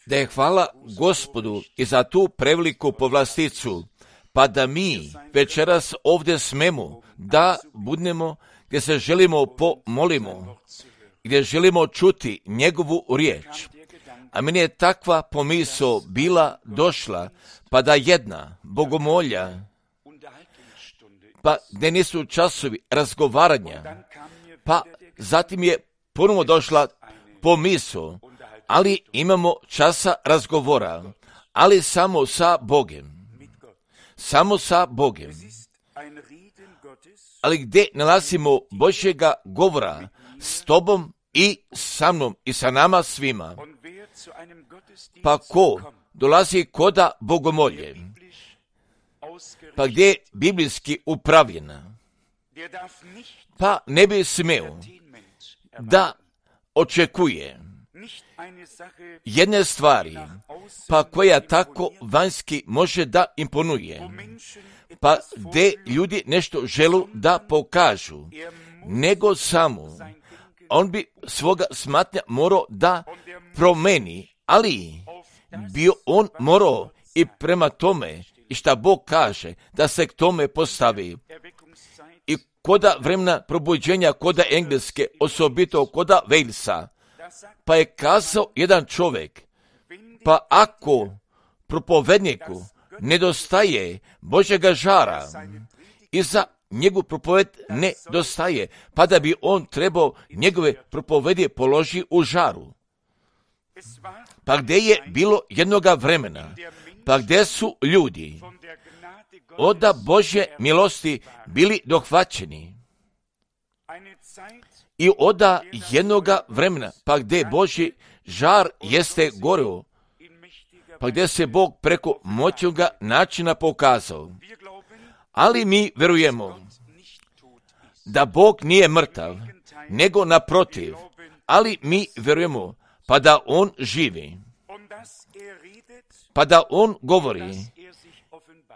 Da je hvala Gospodu i za tu preveliku povlasticu, pa da mi večeras ovdje smemo da budemo gdje se želimo pomolimo, gdje želimo čuti njegovu riječ. A meni je takva pomisao bila došla, pa da jedna bogomolja, pa gdje nisu časovi razgovaranja, pa zatim je ponovo došla pomisao, ali imamo časa razgovora, ali samo sa Bogem. Samo sa Bogem. Ali gdje nalazimo Božjega govora s tobom i sa mnom i sa nama svima. Pa ko dolazi koda bogomolje, pa gdje je biblijski upravljena, pa ne bi smeo da očekuje jedne stvari, pa koja tako vanjski može da imponuje, pa gdje ljudi nešto želu da pokažu, nego samo on bi svoga smatnja morao da promeni, ali bio on morao i prema tome i šta Bog kaže da se k tome postavi. I koda vremena probuđenja, koda engleske, osobito koda Walesa, pa je kazao jedan čovjek, pa ako propovedniku nedostaje Božjega žara i za njegov propoved nedostaje, pa da bi on trebao njegove propovedi položi u žaru. Pa gdje je bilo jednoga vremena, pa gdje su ljudi od Božje milosti bili dohvaćeni i od jednoga vremena, pa gdje Božji žar jeste goreo, pa gdje se Bog preko moćnoga načina pokazao. Ali mi verujemo da Bog nije mrtav, nego naprotiv, ali mi verujemo pa da On živi, pa da On govori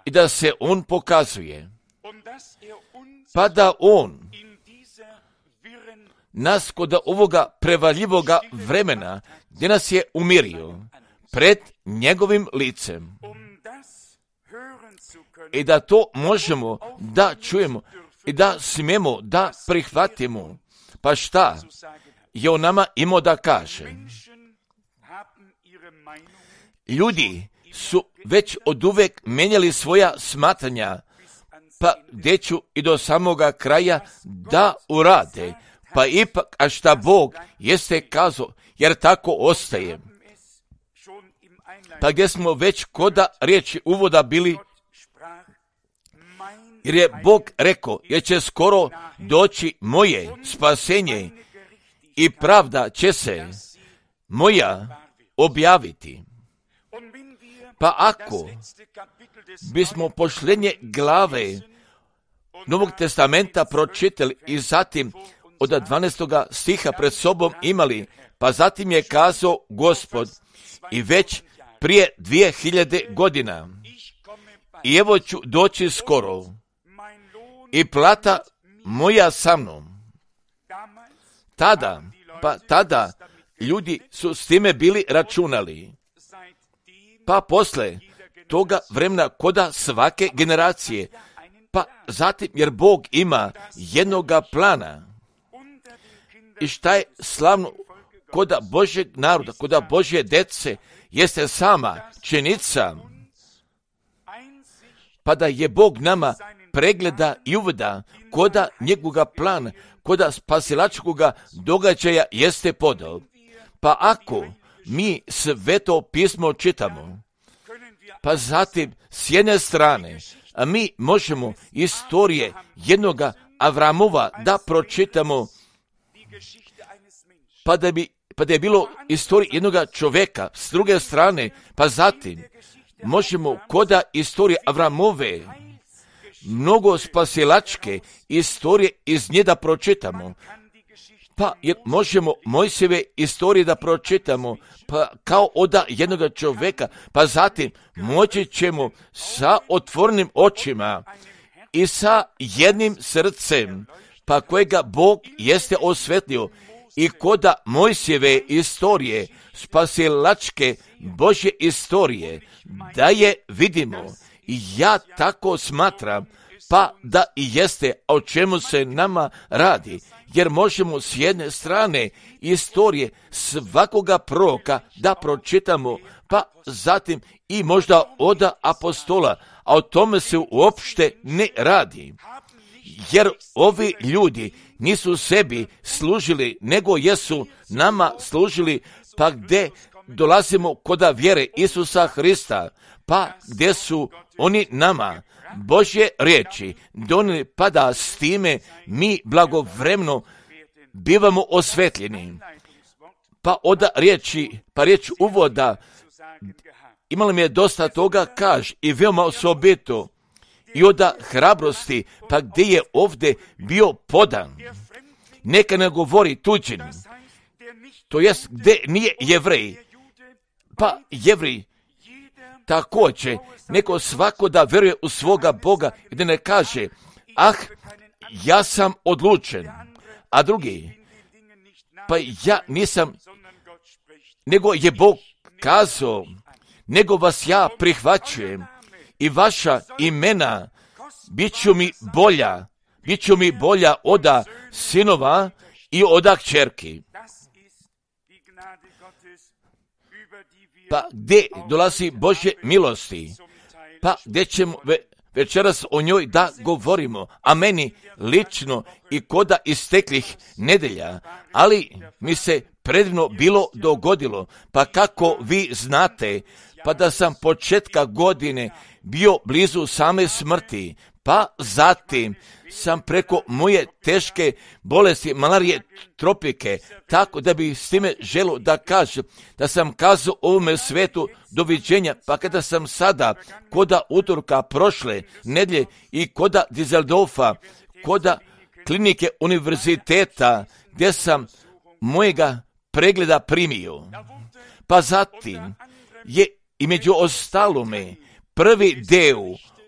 i da se On pokazuje, pa da On nas kod ovoga prevaljivoga vremena gdje nas je umirio pred njegovim licem i da to možemo da čujemo i da smijemo da prihvatimo. Pa šta je on nama imao da kaže? Ljudi su već oduvek menjali svoja smatranja, pa gdje ću i do samoga kraja da urade, pa ipak, a šta Bog jeste kazao, jer tako ostaje. Pa gdje smo već koda riječi uvoda bili, jer je Bog rekao, jer će skoro doći moje spasenje i pravda će se moja objaviti. Pa ako bismo posljednje glave Novog testamenta pročitali i zatim od 12. stiha pred sobom imali, pa zatim je kazao Gospod i već prije 2000 godina, i evo ću doći skoro i plata moja sa mnom. Tada ljudi su s time bili računali. Pa posle toga vremena koda svake generacije, pa zatim jer Bog ima jednoga plana. I šta je slavno koda Božjeg naroda, koda Božje dece, jeste sama činjenica, pa da je Bog nama pregleda i uvida koda njegovoga plana, koda spasilačkoga događaja jeste podao. Pa ako mi Sveto pismo čitamo, pa zatim s jedne strane, a mi možemo istorije jednoga Avramova da pročitamo, pa da je bilo istorija jednoga čovjeka, s druge strane, pa zatim možemo koda istorije Avramove, mnogo spasilačke istorije iz nje da pročitamo, pa možemo Mojsijeve istorije da pročitamo, pa kao od jednoga čovjeka, pa zatim moći ćemo sa otvorenim očima i sa jednim srcem, pa kojega Bog jeste osvetlio i koda Mojsijeve istorije, spasilačke Božje istorije, da je vidimo. I ja tako smatram, pa da i jeste, o čemu se nama radi, jer možemo s jedne strane istorije svakoga proroka da pročitamo, pa zatim i možda od apostola, a o tome se uopšte ne radi. Jer ovi ljudi nisu sebi služili, nego jesu nama služili, pa gdje dolazimo koda vjere Isusa Hrista, pa gdje su oni nama Božje riječi donijeli, pa da s time mi blagovremeno bivamo osvetljeni. Pa od riječ uvoda imali mi je dosta toga kaž i veoma osobito i od hrabrosti, pa gdje je ovdje bio podan. Neka ne govori tuđin, to jest gdje nije Jevrej, pa Jevrej također, neko svako da vjeruje u svoga Boga i da ne kaže, ja sam odlučen, a drugi, pa ja nisam, nego je Bog kazao, nego vas ja prihvaćujem i vaša imena bit ću mi bolja od sinova i od kćerki. Pa gdje dolazi Božje milosti? Pa gdje ćemo večeras o njoj da govorimo, a meni lično i koda isteklih nedelja, ali mi se predivno bilo dogodilo, pa kako vi znate, pa da sam početka godine bio blizu same smrti, pa zatim sam preko moje teške bolesti, malarije, tropike, tako da bi s time želio da kažem, da sam kazao ovome svetu doviđenja, pa kada sam sada koda utorka prošle nedjelje i koda Düsseldorfa, koda klinike univerziteta, gdje sam mojega pregleda primio. Pa zatim je i među ostalome prvi deo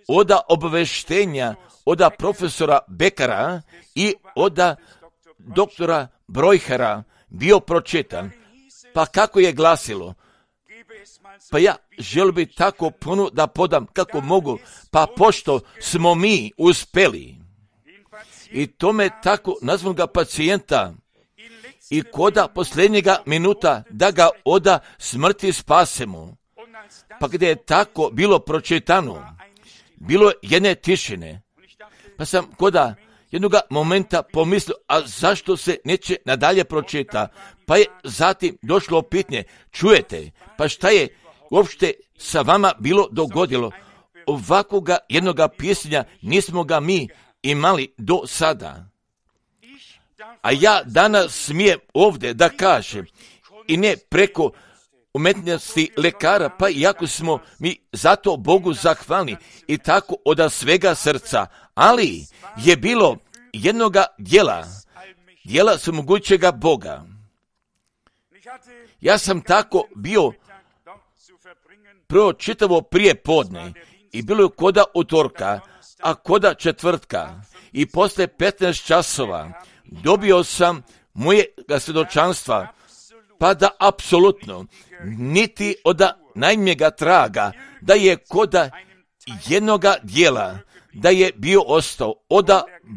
od obaveštenja od profesora Bekara i od doktora Brojhera bio pročitan. Pa kako je glasilo? Pa ja želim bi tako puno da podam kako mogu, pa pošto smo mi uspeli i tome tako nazvam ga pacijenta i koda posljednjega minuta da ga od smrti spasemo. Pa gdje je tako bilo pročitano, bilo jedne tišine, pa sam koda jednoga momenta pomislio, a zašto se neće nadalje pročita? Pa je zatim došlo pitanje, čujete, pa šta je uopšte sa vama bilo dogodilo? Ovakvoga jednoga pisanja nismo ga mi imali do sada. A ja danas smijem ovdje da kažem, i ne preko umetnosti lekara, pa iako smo mi zato Bogu zahvalni i tako od svega srca, ali je bilo jednoga djela svemogućega Boga. Ja sam tako bio prvo čitavo prije podne i bilo je koda utorka, a koda četvrtka i posle 15 časova dobio sam mojega svjedočanstva, pa da apsolutno niti od najmjega traga da je koda jednoga dijela da je bio ostao od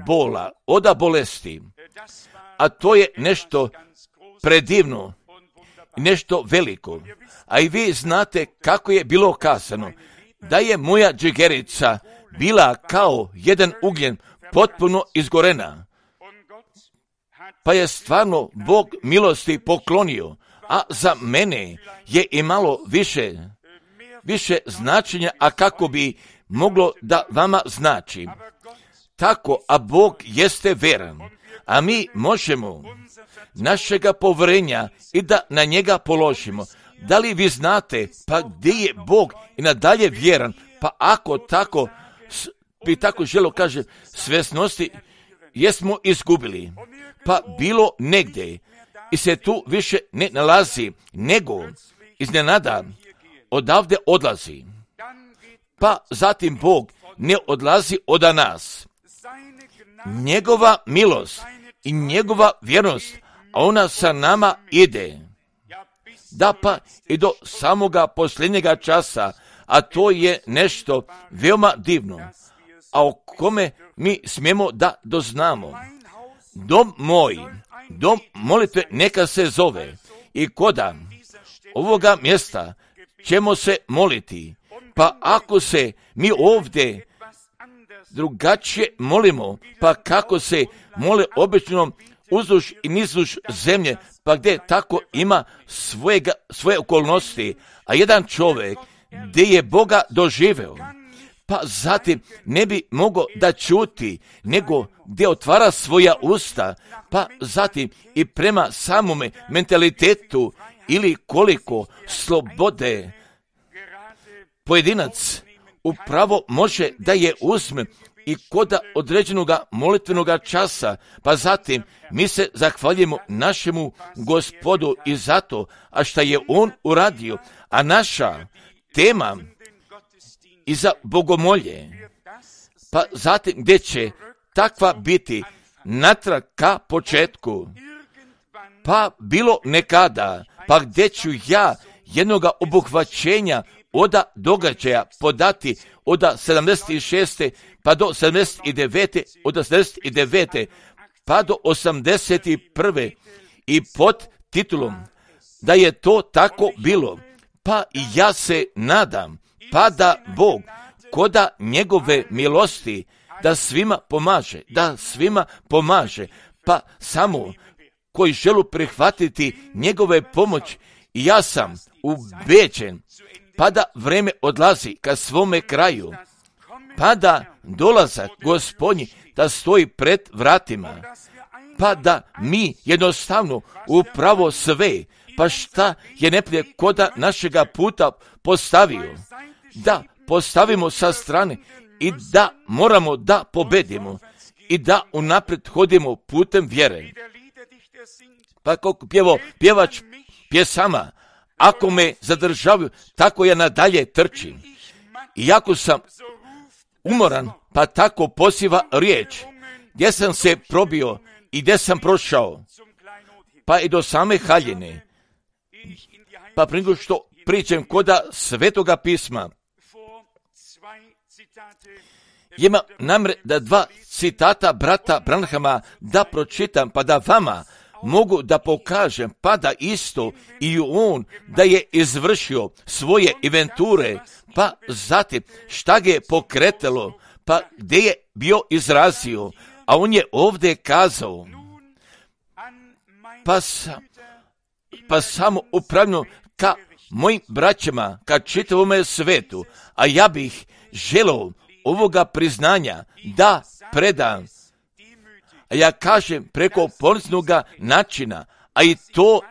bola, od bolesti. A to je nešto predivno, nešto veliko. A i vi znate kako je bilo kazano, da je moja džigerica bila kao jedan ugljen potpuno izgorena. Pa je stvarno Bog milosti poklonio, a za mene je imalo više značenja, a kako bi moglo da vama znači. Tako, a Bog jeste veran, a mi možemo našega povjerenja i da na njega položimo. Da li vi znate, pa gdje je Bog i nadalje vjeran, pa ako tako, bi tako želo kaže, svjesnosti jesmo izgubili, pa bilo negdje i se tu više ne nalazi, nego iznenada odavde odlazi. Pa zatim Bog ne odlazi od nas. Njegova milost i njegova vjernost, a ona sa nama ide. Da pa i do samoga posljednjega časa, a to je nešto veoma divno, a o kome mi smijemo da doznamo. Dom moj, dom molitve neka se zove, i koda ovoga mjesta ćemo se moliti. Pa ako se mi ovdje drugačije molimo, pa kako se mole obično uzduž i nizduž zemlje, pa gdje tako ima svoje okolnosti, a jedan čovjek gdje je Boga doživeo, pa zatim ne bi mogao da čuti, nego gdje otvara svoja usta, pa zatim i prema samome mentalitetu ili koliko slobode pojedinac upravo može da je uzme i koda određenoga molitvenoga časa, pa zatim mi se zahvaljujemo našemu Gospodu i zato, a šta je On uradio, a naša tema i za bogomolje, pa zatim gdje će takva biti natrag ka početku, pa bilo nekada, pa gdje ću ja jednoga obuhvaćenja od događaja podati od 76. pa do 79. od 79. pa do 81. i pod titulom da je to tako bilo, pa i ja se nadam, pa da Bog koda njegove milosti da svima pomaže, pa samo koji želu prihvatiti njegove pomoć, i ja sam ubeđen, pa da vreme odlazi ka svome kraju, pa da dolazak Gospodnji da stoji pred vratima, pa da mi jednostavno upravo sve, pa šta je neprijatelj koda našega puta postavio, da postavimo sa strane i da moramo da pobedimo i da unaprijed hodimo putem vjere. Pa kako pjevač pjesama, ako me zadržavaju, tako ja nadalje trčim. Iako sam umoran, pa tako poziva riječ, gdje sam se probio i gdje sam prošao, pa i do same haljine. Pa prije nego što pričam koda Svetoga pisma, ima namre da 2 citata brata Branhama da pročitam, pa da vama mogu da pokažem, pa da isto i on da je izvršio svoje inventure, pa zatim šta ga je pokretalo, pa gdje je bio izrazio, a on je ovdje kazao, pa samo upravno ka mojim braćama, ka čitavome svetu, a ja bih želeo ovoga priznanja da predam, a ja kažem preko poniznoga načina, a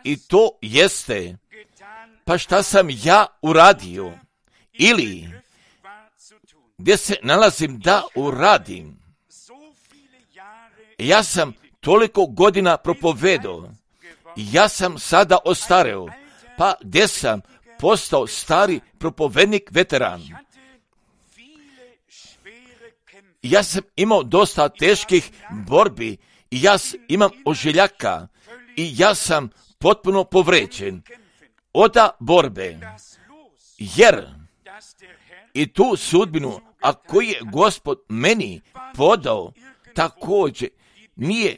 i to jeste, pa šta sam ja uradio, ili gdje se nalazim da uradim. Ja sam toliko godina propovedao, ja sam sada ostareo, pa gdje sam postao stari propovednik veteran. Ja sam imao dosta teških borbi i ja imam ožiljaka i ja sam potpuno povređen od borbe, jer i tu sudbinu, a koju je Gospod meni podao, također nije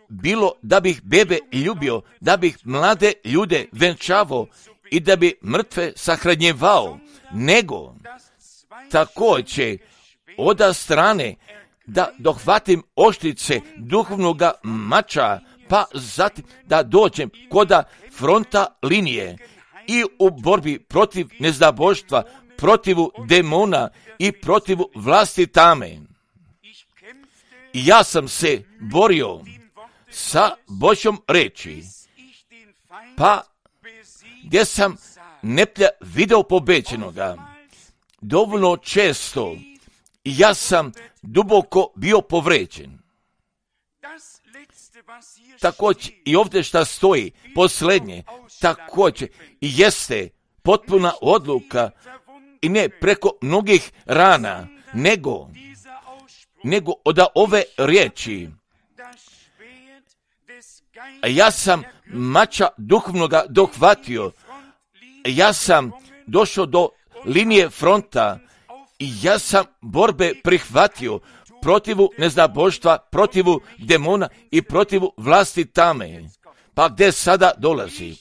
bilo da bih bebe ljubio, da bih mlade ljude venčavao i da bi mrtve sahranjevao, nego također od strane da dohvatim oštrice duhovnoga mača, pa zatim da dođem koda fronta linije i u borbi protiv neznaboštva, protiv demona i protiv vlasti tame. I ja sam se borio sa Božjom reči, pa gdje sam neplja video pobeđenoga, dovoljno često, i ja sam duboko bio povređen. Također i ovdje šta stoji, posljednje, također i jeste potpuna odluka i ne preko mnogih rana, nego od ove riječi, ja sam mača duhovnoga dohvatio, ja sam došao do linije fronta i ja sam borbe prihvatio protivu neznaboštva, protivu demona i protivu vlasti tame. Pa gdje sada dolazi?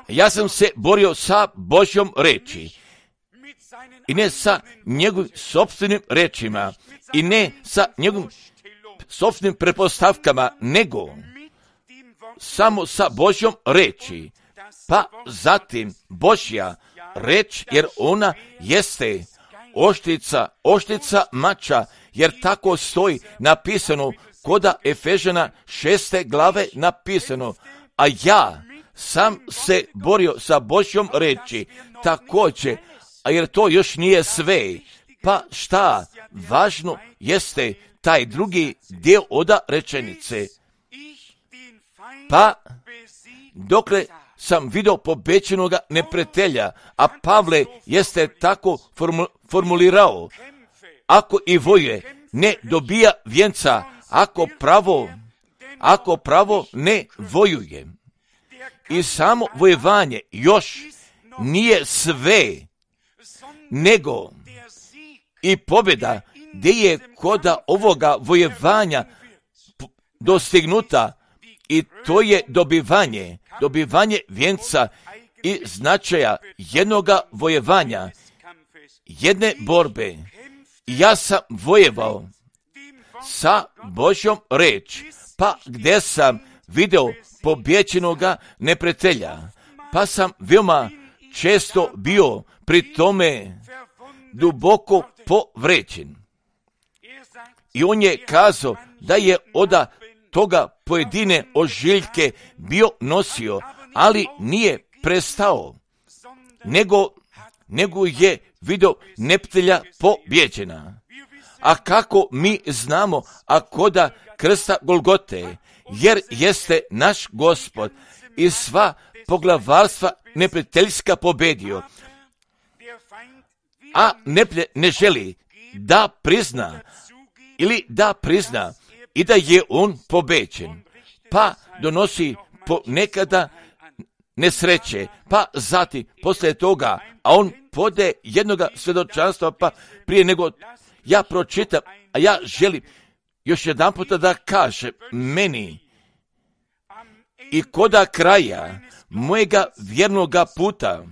Ja sam se borio sa Božjom reči i ne sa njegovim sopstvenim rečima i ne sa njegovim sopstvenim pretpostavkama, nego samo sa Božjom reči. Pa zatim Božja reč, jer ona jeste oštrica mača, jer tako stoji napisano koda Efežana 6. glave napisano, a ja sam se borio sa Božjom reči također, a jer to još nije sve. Pa šta važno jeste taj drugi dio oda rečenice. Pa dokle sam vidio pobećenoga neprijatelja, a Pavle jeste tako formulirao, ako i vojuje ne dobija vjenca, ako pravo ne vojuje. I samo vojevanje još nije sve, nego i pobjeda gdje je koda ovoga vojevanja dostignuta, i to je dobivanje vjenca i značaja jednoga vojevanja, jedne borbe. Ja sam vojevao sa Božjom reč, pa gdje sam video pobjeđenoga neprijatelja, pa sam veoma često bio pri tome duboko povređen. I on je kazao da je od toga pojedine ožiljke bio nosio, ali nije prestao, nego je vidio neprijatelja pobjeđena. A kako mi znamo, a koda krsta Golgote, jer jeste naš Gospod i sva poglavarstva neprijateljska pobjedio, a neprijatelj ne želi da prizna i da je on pobeđen, pa donosi ponekada nesreće, pa zatim poslije toga, a on pode jednoga svjedočanstva, pa prije nego ja pročitam, a ja želim još jedan puta da kaže meni i koda kraja mojega vjernoga puta,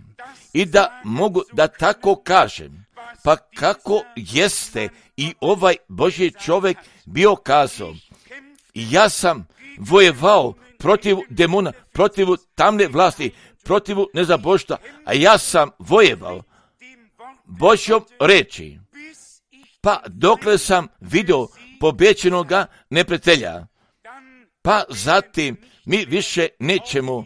i da mogu da tako kažem, pa kako jeste i ovaj Božji čovjek bio kazao, ja sam vojevao protiv demona, protiv tamne vlasti, protiv nezaboštva, a ja sam vojevao Božjom reči, pa dokle sam vidio pobjeđenoga neprijatelja, pa zatim mi više nećemo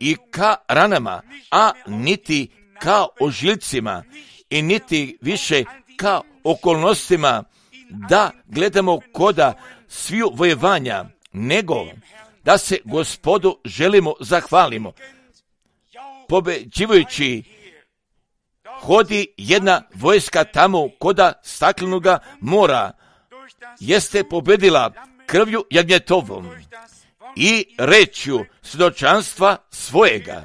i ka ranama, a niti ka ožiljcima i niti više ka okolnostima da gledamo koda sviju vojevanja, nego da se Gospodu želimo zahvalimo. Pobeđivajući hodi jedna vojska tamo koda staklenoga mora, jeste pobedila krvju jagnjetovom i rečju svjedočanstva svojega.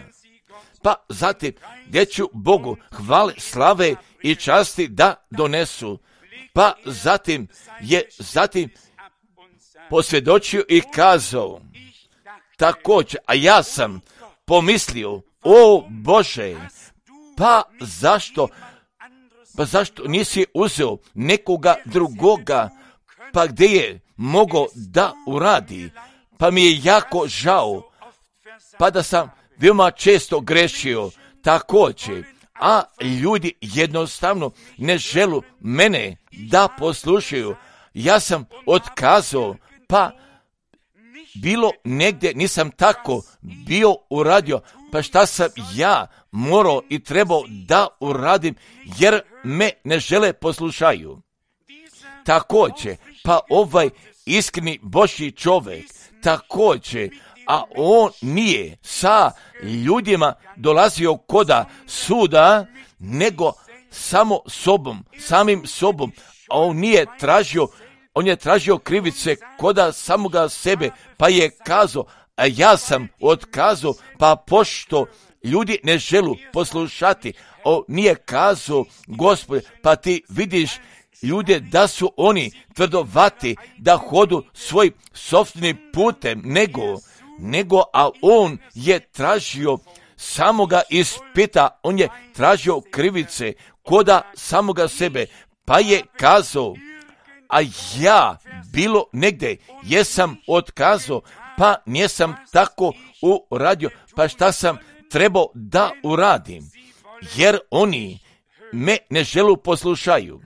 Pa zatim gdje ću Bogu hvale, slave i časti da donesu. Pa zatim je posvjedočio i kazao također, a ja sam pomislio, o Bože, pa zašto nisi uzeo nekoga drugoga, pa gdje je mogao da uradi, pa mi je jako žao, pa da sam veoma često grešio također, a ljudi jednostavno ne želu mene da poslušaju. Ja sam otkazao, pa bilo negdje nisam tako bio uradio, pa šta sam ja morao i trebao da uradim, jer me ne žele poslušaju. Također, pa ovaj iskreni Božji čovjek, također, a on nije sa ljudima dolazio koda suda, nego samim sobom, a on nije tražio on je tražio krivice koda samoga sebe, pa je kazao, a ja sam otkazao, pa pošto ljudi ne želu poslušati, on nije kazao, Gospode, pa ti vidiš ljude da su oni tvrdovati, da hodu svoj sopstvenim putem, nego, a on je tražio samoga ispita, on je tražio krivice koda samoga sebe, pa je kazao, a ja bilo negde jesam otkazao, pa nisam tako uradio, pa šta sam trebao da uradim, jer oni me ne želu poslušaju.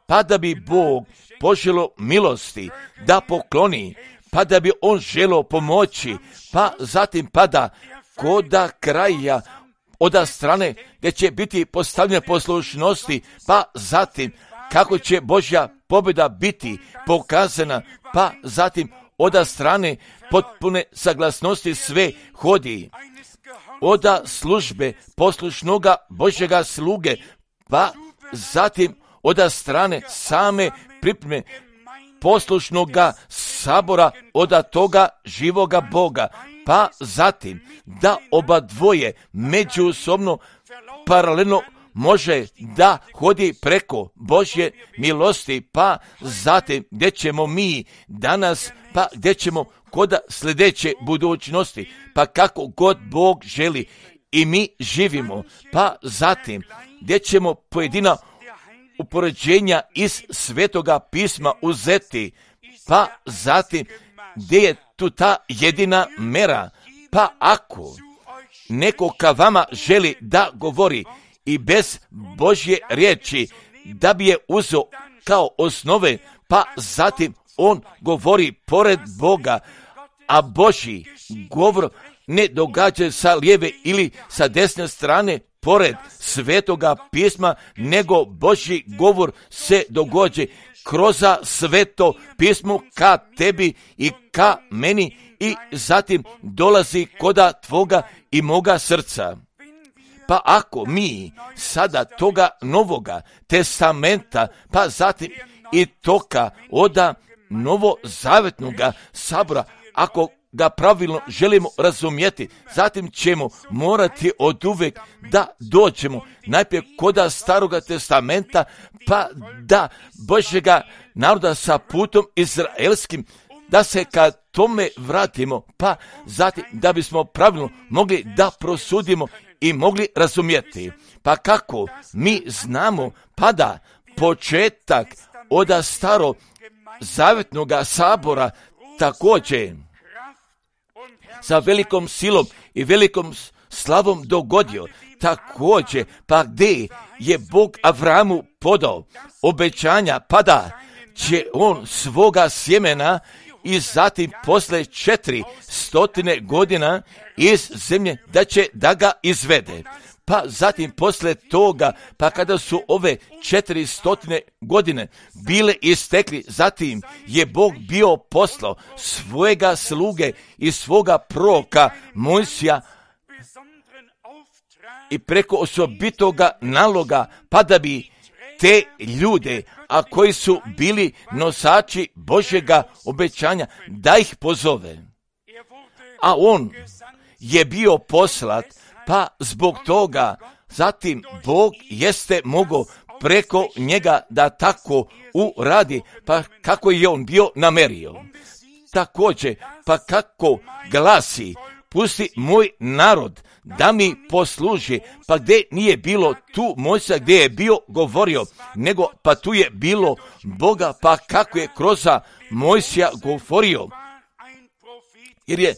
Pa da bi Bog poželo milosti da pokloni, pa da bi on želo pomoći, pa zatim da koda kraja od strane gdje će biti postavljene poslušnosti, pa zatim kako će Božja pobjeda biti pokazana, pa zatim od strane potpune saglasnosti sve hodi, od službe poslušnoga Božjega sluge, pa zatim od strane same pripreme poslušnoga sabora od toga živoga Boga, pa zatim da oba dvoje međusobno paralelno može da hodi preko Božje milosti, pa zatim gdje ćemo mi danas, pa gdje ćemo kod sljedeće budućnosti, pa kako god Bog želi i mi živimo, pa zatim gdje ćemo pojedina upoređenja iz Svetoga pisma uzeti, pa zatim gdje je tu ta jedina mera, pa ako neko ka vama želi da govori i bez Božje riječi, da bi je uzeo kao osnove, pa zatim on govori pored Boga, a Božji govor ne događa sa lijeve ili sa desne strane pored Svetoga pisma, nego Božji govor se događa kroz Sveto pismo ka tebi i ka meni i zatim dolazi koda tvoga i moga srca. Pa ako mi sada toga Novoga testamenta, pa zatim i toga od novozavetnoga sabora, ako ga pravilno želimo razumjeti, zatim ćemo morati oduvek da dođemo najprije koda Staroga testamenta, pa da Božjega naroda sa putom izraelskim, da se ka tome vratimo, pa zatim da bismo pravilno mogli da prosudimo i mogli razumjeti. Pa kako mi znamo, pa da početak od Staro zavetnoga sabora također sa velikom silom i velikom slavom dogodio, također, pa gdje je Bog Avramu podao obećanja, pa da će on svoga sjemena i zatim posle 400 godina iz zemlje da će da ga izvede. Pa zatim posle toga, pa kada su ove 400 godine bile istekli, zatim je Bog bio poslao svojega sluge i svoga proroka Mojsija i preko osobitoga naloga, pa da bi te ljude, a koji su bili nosači Božjega obećanja, da ih pozove. A on je bio poslat, pa zbog toga zatim Bog jeste mogao preko njega da tako uradi, pa kako je on bio namerio. Također, pa kako glasi, pusti moj narod da mi posluži, pa gdje nije bilo tu Mojsija gdje je bio govorio, nego pa tu je bilo Boga, pa kako je kroz Mojsija govorio, jer je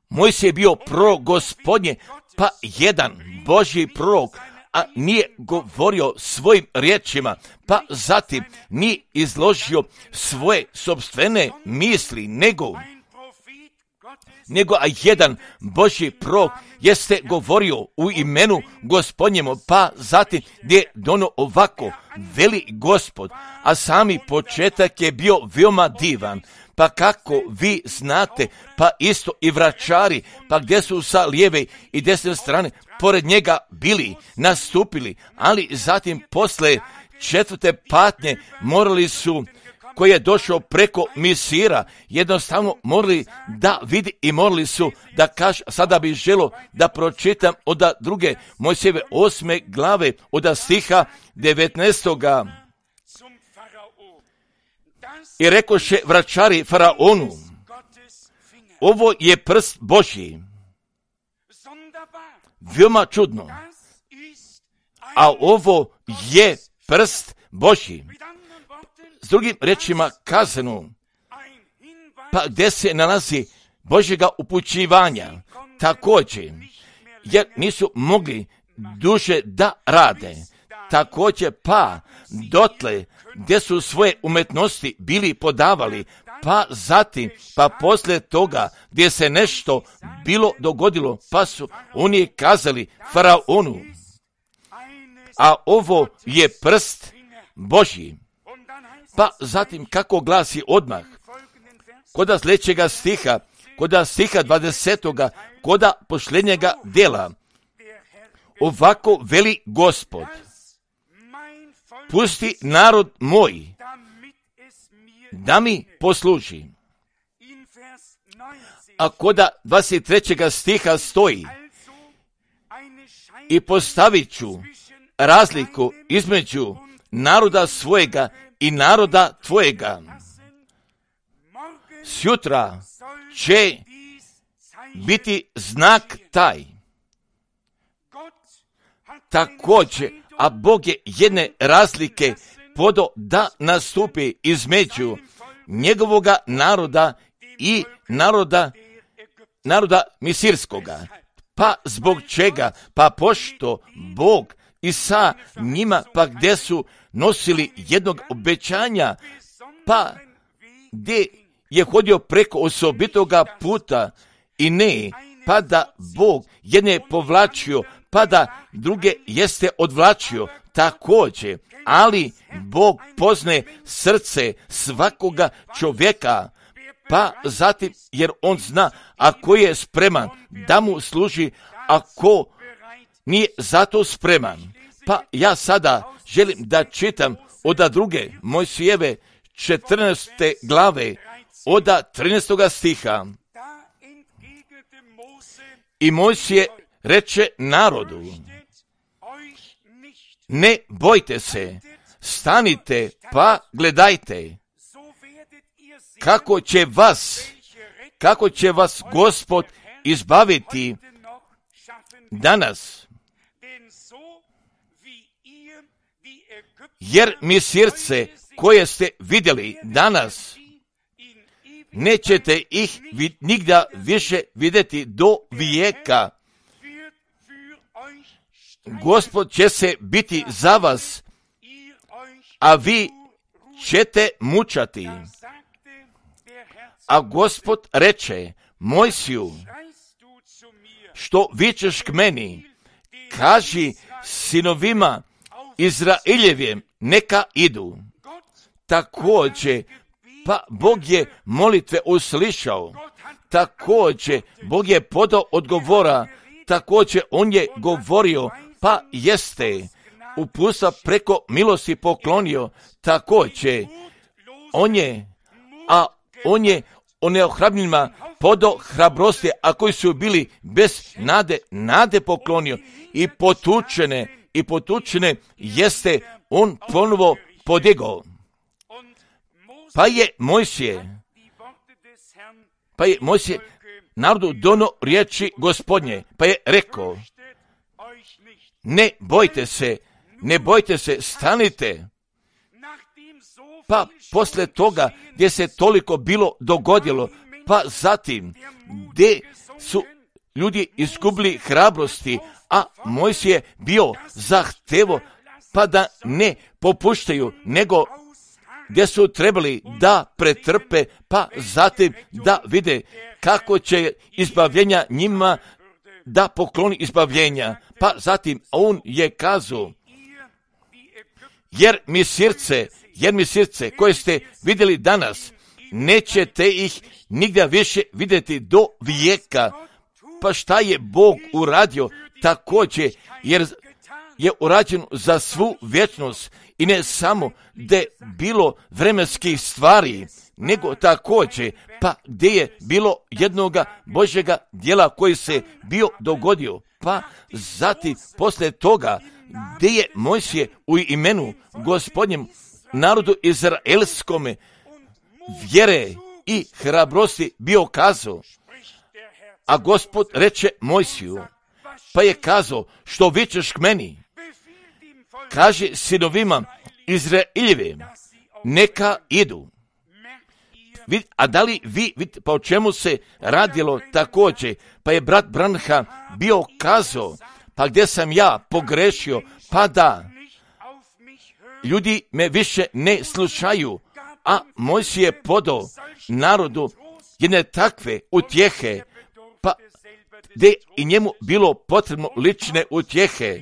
Mojsije bio prorok Gospodnje, pa jedan Božji prorok, a nije govorio svojim riječima, pa zatim nije izložio svoje sopstvene misli, nego a jedan Božji prorok jeste govorio u imenu Gospodnjemu, pa zatim gdje dono ovako, veli Gospod, a sami početak je bio veoma divan. Pa kako vi znate, pa isto i vračari, pa gdje su sa lijeve i desne strane pored njega bili, nastupili, ali zatim posle 4. patnje morali su koji je došao preko misira, jednostavno morali da vidi i morali su da kaže, sada bih želio da pročitam od druge Mojsijeve 8. glave, od stiha 19. I rekoše vračari faraonu, ovo je prst Božji. Veoma čudno. A ovo je prst Božji. S drugim rečima kazano, pa gdje se nalazi Božjega upućivanja, također, jer nisu mogli duže da rade, također pa dotle gdje su svoje umetnosti bili podavali, pa zatim, pa poslije toga gdje se nešto bilo dogodilo, pa su oni kazali faraonu, a ovo je prst Božji. Pa zatim kako glasi odmah, kod sljedećega stiha, kod stiha 20. kod posljednjega dela, ovako veli Gospod, pusti narod moj da mi posluži. A kod 23. stiha stoji, i postavit ću razliku između naroda svojega i naroda tvojega. Sjutra će biti znak taj. Također, a Bog je jedne razlike podo da nastupi između njegovoga naroda i naroda misirskoga. Pa zbog čega? Pa pošto Bog i sa njima, pa gdje su nosili jednog obećanja, pa gdje je hodio preko osobitoga puta i ne, pa da Bog jedne povlačio, pa da druge jeste odvlačio, također, ali Bog poznaje srce svakoga čovjeka, pa zatim, jer on zna ako je spreman da mu služi, ako nije zato spreman. Pa ja sada želim da čitam od druge Mojsijeve 14. glave, od 13. stiha. I Mojsije reče narodu, ne bojte se, stanite pa gledajte, kako će vas Gospod izbaviti danas. Jer misirce koje ste vidjeli danas, nećete ih nigda više vidjeti do vijeka. Gospod će se biti za vas, a vi ćete mučati. A Gospod reče Mojsiju, što vičeš k meni, kaži sinovima Izraeljevim neka idu. Također, pa Bog je molitve uslišao, također Bog je podao odgovora, također on je govorio, pa jeste uputstva preko milosti poklonio, također on je neohrabnima podao hrabrosti, a koji su bili bez nade poklonio i potučene jeste on ponovo podigao. Pa je Mojsije narodu dono riječi Gospodnje, pa je rekao, ne bojte se, stanite. Pa posle toga gdje se toliko bilo dogodilo, pa zatim gdje su ljudi izgubili hrabrosti, a Mojsije bio zahtevo pa da ne popuštaju, nego gdje su trebali da pretrpe, pa zatim da vide kako će izbavljenja njima da pokloni izbavljenja. Pa zatim on je kazao, jer mi srce koje ste vidjeli danas, nećete ih nigdje više vidjeti do vijeka. Pa šta je Bog uradio također, jer je urađeno za svu vječnost i ne samo da je bilo vremenskih stvari, nego također pa gdje je bilo jednoga Božjega djela koji se bio dogodio, pa zatim poslije toga gdje je Mojsije u imenu Gospodnjem narodu izraelskome vjere i hrabrosti bio kazao, a Gospod reče Mojsiju, pa je kazao, što vičeš k meni, kaže sinovima Izraeljevim, neka idu. A da li vi vidite, pa o čemu se radilo također, pa je brat Branham bio kazao, pa gdje sam ja pogrešio, pa da ljudi me više ne slušaju, a Mojsije je podao narodu jedne takve utjehe, pa gdje i njemu bilo potrebno lične utjehe,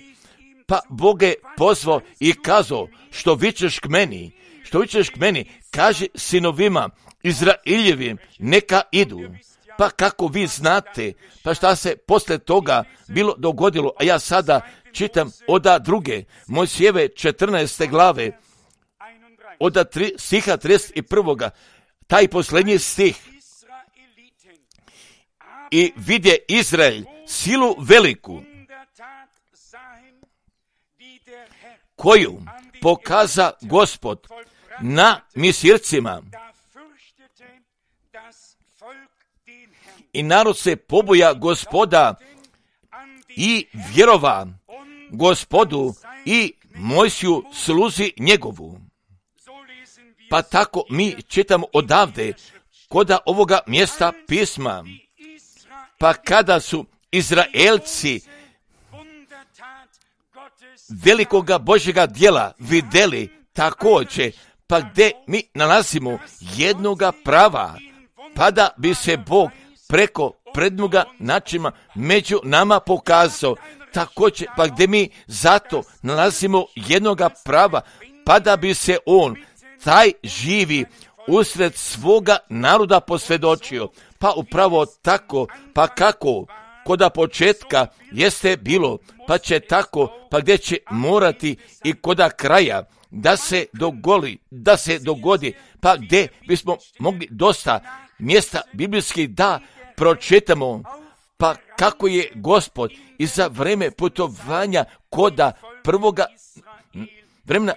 pa Bog je pozvao i kazao, što vičeš k meni, kaže sinovima Izraeljevim, neka idu. Pa kako vi znate, pa šta se poslije toga bilo dogodilo, a ja sada čitam od druge Mojsijeve 14. glave, od stiha 31. taj posljednji stih. I vidje Izrael silu veliku, koju pokaza Gospod na Misircima. I narod se poboja Gospoda i vjerova Gospodu i Mojsiju sluzi njegovu. Pa tako mi čitamo odavde koda ovoga mjesta pisma. Pa kada su Izraelci velikoga Božjega djela vidjeli također, pa gdje mi nalazimo jednoga prava, pa da bi se Bog preko prednoga načina među nama pokazao, također pa gdje mi zato nalazimo jednoga prava, pa da bi se on, taj živi, usred svoga naroda posvjedočio. Pa upravo tako, pa kako koda početka jeste bilo, pa će tako, pa gdje će morati i koda kraja da se dogodi, pa gdje bismo mogli dosta mjesta biblijskih da pročitamo, pa kako je Gospod i za vreme putovanja koda prvoga vremena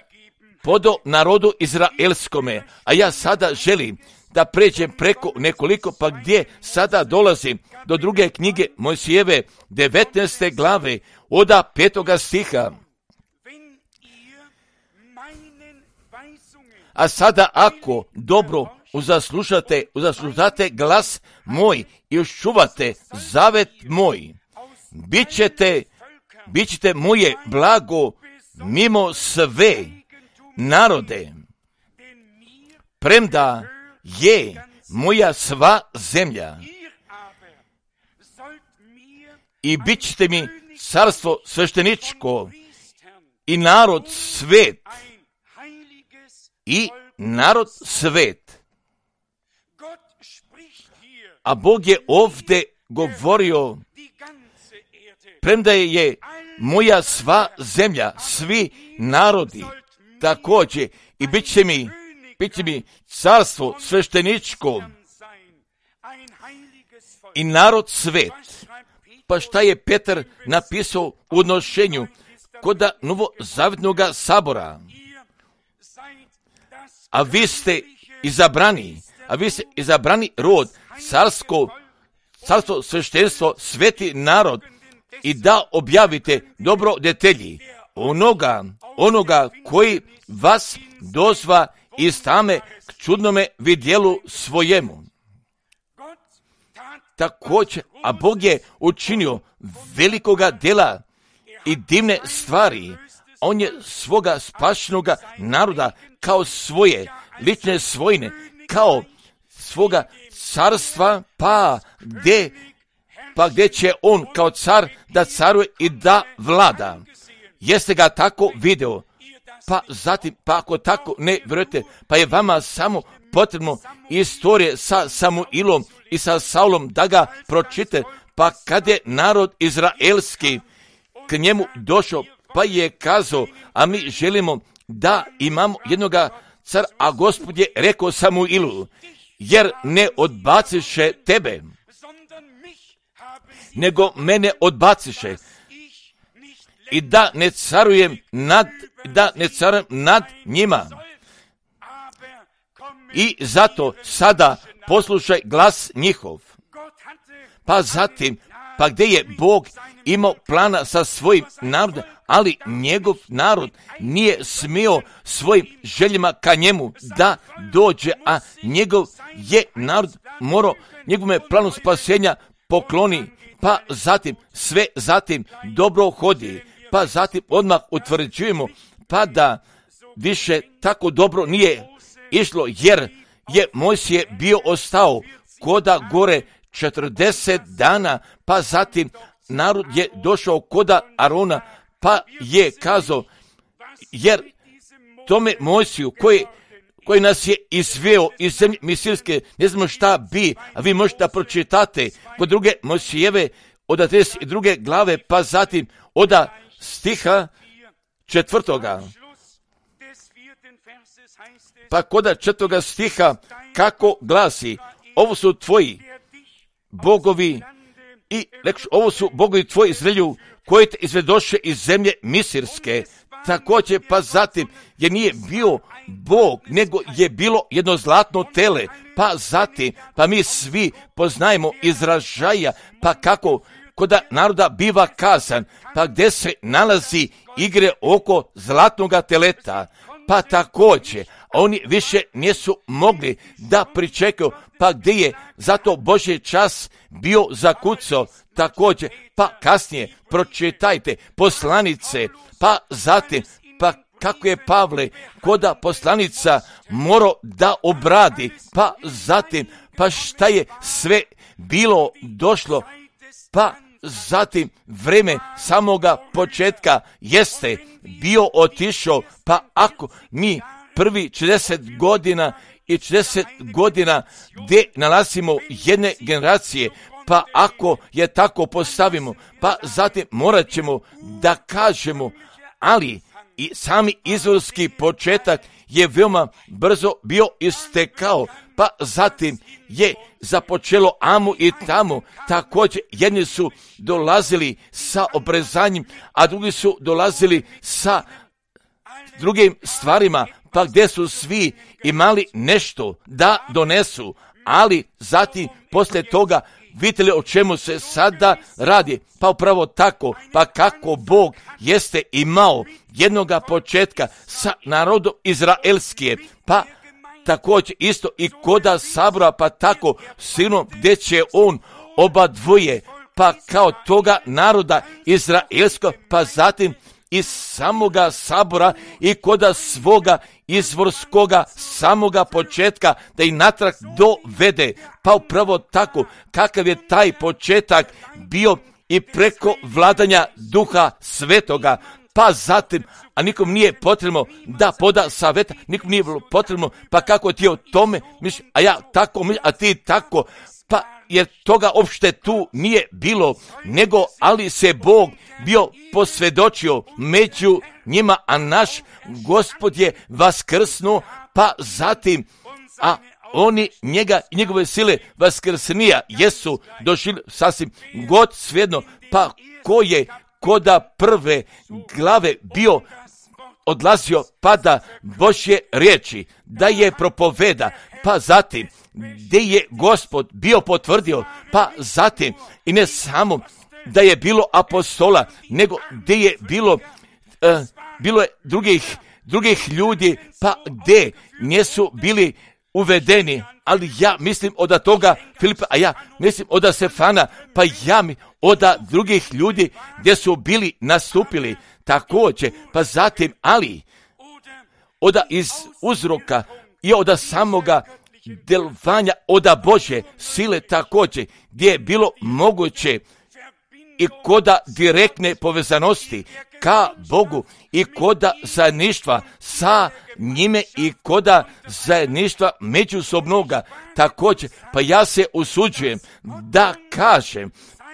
podao narodu izraelskome. A ja sada želim da pređem preko nekoliko, pa gdje sada dolazim do druge knjige Mojsijeve 19. glave od 5. stiha. A sada ako dobro uzaslušate glas moj i uščuvate zavet moj, bit ćete moje blago mimo sve narode, premda je moja sva zemlja, i bit ćete mi carstvo svešteničko i narod svet, i narod svet. A Bog je ovdje govorio, premda je moja sva zemlja, svi narodi, također, i bit će mi carstvo svešteničko i narod svet. Pa šta je Petar napisao u odnošenju koda novozavjetnoga sabora? A vi ste izabrani rod, carstvo sveštenstvo, sveti narod, i da objavite dobro detelji onoga koji vas dozva iz tame k čudnome vidjelu svojemu. Također, a Bog je učinio velikoga djela i divne stvari. On je svoga spašenoga naroda kao svoje lične svojine, kao svoga carstva, pa gdje će on kao car da caruje i da vlada. Jeste ga tako video? Pa zatim, pa ako tako ne vjerujete, pa je vama samo potrebno istorije sa Samuilom i sa Saulom da ga pročite, pa kad je narod izraelski k njemu došao, pa je kazao, a mi želimo da imamo jednoga cara, a Gospod je rekao Samuilu, jer ne odbaciše tebe, nego mene odbaciše i da ne carujem nad njima. I zato sada poslušaj glas njihov. Pa zatim, pa gdje je Bog imao plana sa svojim narodom, ali njegov narod nije smio svojim željama ka njemu da dođe, a njegov je narod morao njegovome planu spasenja pokloni, pa zatim sve zatim dobro hodi, pa zatim odmah utvrđujemo pa da više tako dobro nije išlo, jer je Mojsije bio ostao koda gore 40 dana, pa zatim narod je došao koda Arona, pa je kazao, jer tome Mojsiju koji nas je izveo iz zemlje Misirske, ne znamo šta bi, a vi možete pročitate kod druge Mojsijeve od 32. glave, pa zatim od stiha 4. Pa kod 4. stiha kako glasi, ovo su tvoji bogovi i rekš, ovo su bogovi tvoji Izraelju koji te izvedoše iz zemlje Misirske. Također pa zatim je nije bio Bog, nego je bilo jedno zlatno tele, pa zatim, pa mi svi poznajemo izražaja, pa kako kod naroda biva kazan, pa gdje se nalazi igre oko zlatnoga teleta, pa također oni više nisu mogli da pričekaju, pa gdje je zato Božji čas bio zakucao. Također, pa kasnije pročitajte poslanice, pa zatim, pa kako je Pavle koda poslanica morao da obradi, pa zatim, pa šta je sve bilo došlo, pa zatim vreme samoga početka jeste bio otišao, pa ako mi prvi 40 godina i 40 godina gdje nalazimo jedne generacije, pa ako je tako postavimo, pa zatim morat ćemo da kažemo, ali i sami izvorski početak je veoma brzo bio istekao, pa zatim je započelo amo i tamo. Također jedni su dolazili sa obrezanjem, a drugi su dolazili sa drugim stvarima, pa gdje su svi imali nešto da donesu, ali zatim poslije toga vidite li o čemu se sada radi? Pa upravo tako, pa kako Bog jeste imao jednoga početka sa narodom Izraelskije, pa također isto i koda sabora, pa tako sinom gdje će on oba dvoje, pa kao toga naroda Izraelskog, pa zatim iz samoga sabora i koda svoga izvorskoga samoga početka da i natrag dovede. Pa upravo tako kakav je taj početak bio i preko vladanja Duha Svetoga, pa zatim, a nikom nije potrebno da poda savjeta, nikom nije potrebno, pa kako ti o tome misliš, a ja tako misliš, a ti tako, pa jer toga uopšte tu nije bilo, nego ali se Bog bio posvjedočio među njima, a naš Gospod je vaskrsnuo, pa zatim, a oni njega i njegove sile vaskrsnija jesu došli sasvim god svejedno, pa ko je koda prve glave bio odlazio pa da Božje riječi, da je propoveda, pa zatim gdje je Gospod bio potvrdio, pa zatim i ne samo da je bilo apostola, nego gdje je bilo je drugih ljudi, pa gdje nisu bili uvedeni, ali ja mislim od toga Filipa, a ja mislim od Stefana, pa ja od drugih ljudi gdje su bili nastupili također, pa zatim, ali od iz uzroka i od samoga delovanja od Božje sile također, gdje je bilo moguće i koda direktne povezanosti ka Bogu i koda zajedništva sa njime i koda zajedništva međusobnoga također, pa ja se usuđujem da kažem,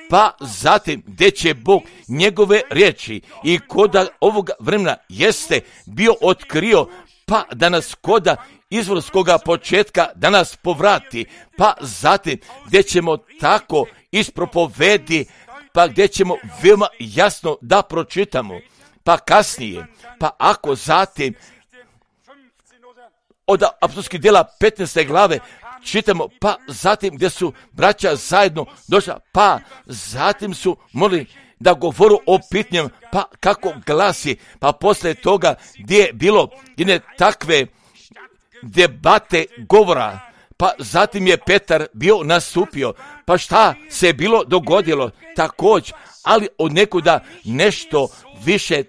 pa zatim gdje će Bog njegove riječi i koda ovoga vremena jeste bio otkrio, pa da nas koda izvorskoga početka da nas povrati, pa zatim gdje ćemo tako ispropovedi, pa gdje ćemo veoma jasno da pročitamo, pa kasnije, pa ako zatim od apostolskih djela 15. glave čitamo, pa zatim gdje su braća zajedno došla, pa zatim su molili da govoru o pitanjima, pa kako glasi, pa poslije toga gdje je bilo jedne takve debate govora, pa zatim je Petar bio nastupio, pa šta se je bilo dogodilo također, ali od nekuda nešto više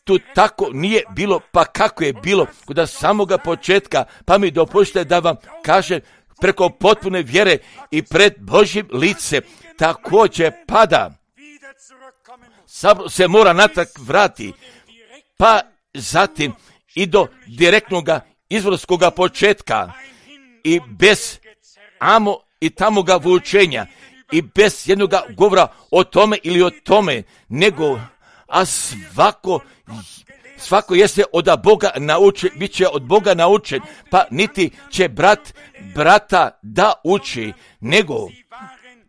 tu tako nije bilo, pa kako je bilo kod samoga početka, pa mi dopustite da vam kažem preko potpune vjere i pred Božjim lice također pada. Sabor se mora natrag vrati, pa zatim i do direktnoga izvorskoga početka i bez amo i tamoga vučenja i bez jednoga govora o tome ili o tome, nego a svako jeste od Boga naučen, bit će od Boga naučen, pa niti će brata da uči, nego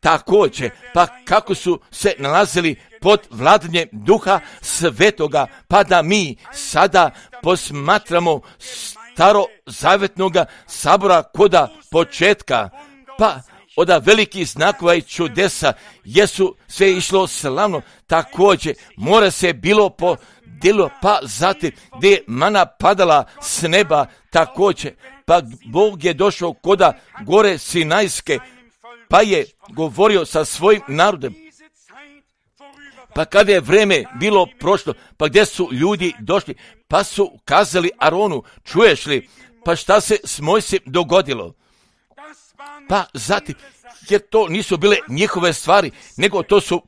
također, pa kako su se nalazili pod vladanjem Duha Svetoga, pa da mi sada posmatramo starozavjetnoga sabora koda početka, pa od velikih znakova i čudesa jesu sve išlo slavno, također mora se bilo po djelu, pa zatim gdje je mana padala s neba, također, pa Bog je došao koda gore Sinajske, pa je govorio sa svojim narodom. Pa kada je vreme bilo prošlo, pa gdje su ljudi došli, pa su kazali Aronu, čuješ li, pa šta se s Mojsijem dogodilo? Pa zatim, jer to nisu bile njihove stvari, nego to su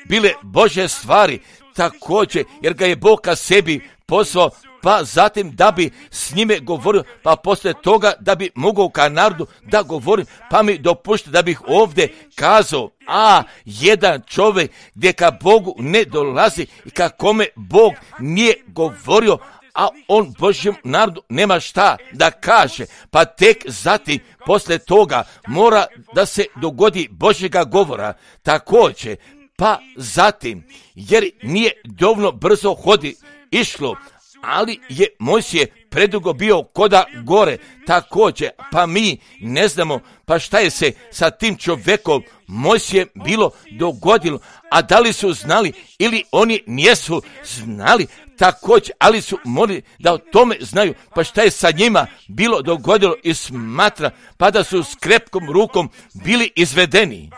bile Božje stvari, također, jer ga je Bog ka sebi pozvao, pa zatim da bi s njime govorio, pa poslije toga da bi mogao ka narodu da govorim, pa mi dopušta da bih ovdje kazao, jedan čovjek gdje ka Bogu ne dolazi i ka kome Bog nije govorio, a on Božjem narodu nema šta da kaže, pa tek zatim poslije toga mora da se dogodi Božjega govora, također, pa zatim, jer nije dovoljno brzo išlo, ali je Mojsije predugo bio koda gore, također, pa mi ne znamo, pa šta je se sa tim čovjekom Mojsije bilo dogodilo, a da li su znali ili oni nisu znali, također, ali su morali da o tome znaju, pa šta je sa njima bilo dogodilo i smatra, pa da su s krepkom rukom bili izvedeni.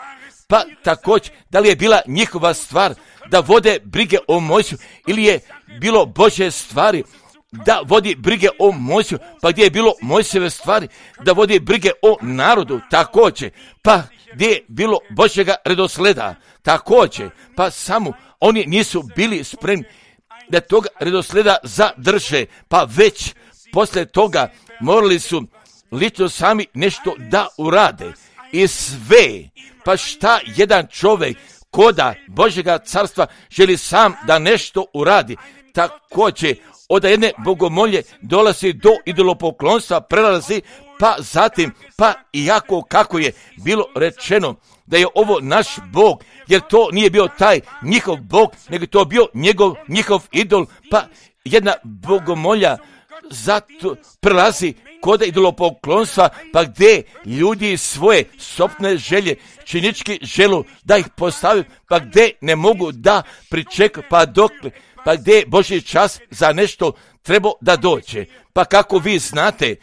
Pa također, da li je bila njihova stvar da vode brige o Mojsiju ili je bilo Božje stvari da vodi brige o Mojsiju, pa gdje je bilo Mojsijeve stvari da vodi brige o narodu, također, pa gdje je bilo Božjega redosleda, također, pa samo oni nisu bili spremni da toga redosleda zadrže, pa već poslije toga morali su lično sami nešto da urade i sve, pa šta jedan čovjek koda Božjega carstva želi sam da nešto uradi, također od jedne bogomolje dolazi do idolopoklonstva, prelazi, pa zatim, pa iako kako je bilo rečeno da je ovo naš Bog, jer to nije bio taj njihov Bog, nego to bio njihov idol, pa jedna bogomolja zato prelazi kod idolopoklonstva, pa gdje ljudi svoje sopne želje činički želu da ih postavi, pa gdje ne mogu da pričekaju, pa gdje je Božji čas za nešto trebao da dođe. Pa kako vi znate,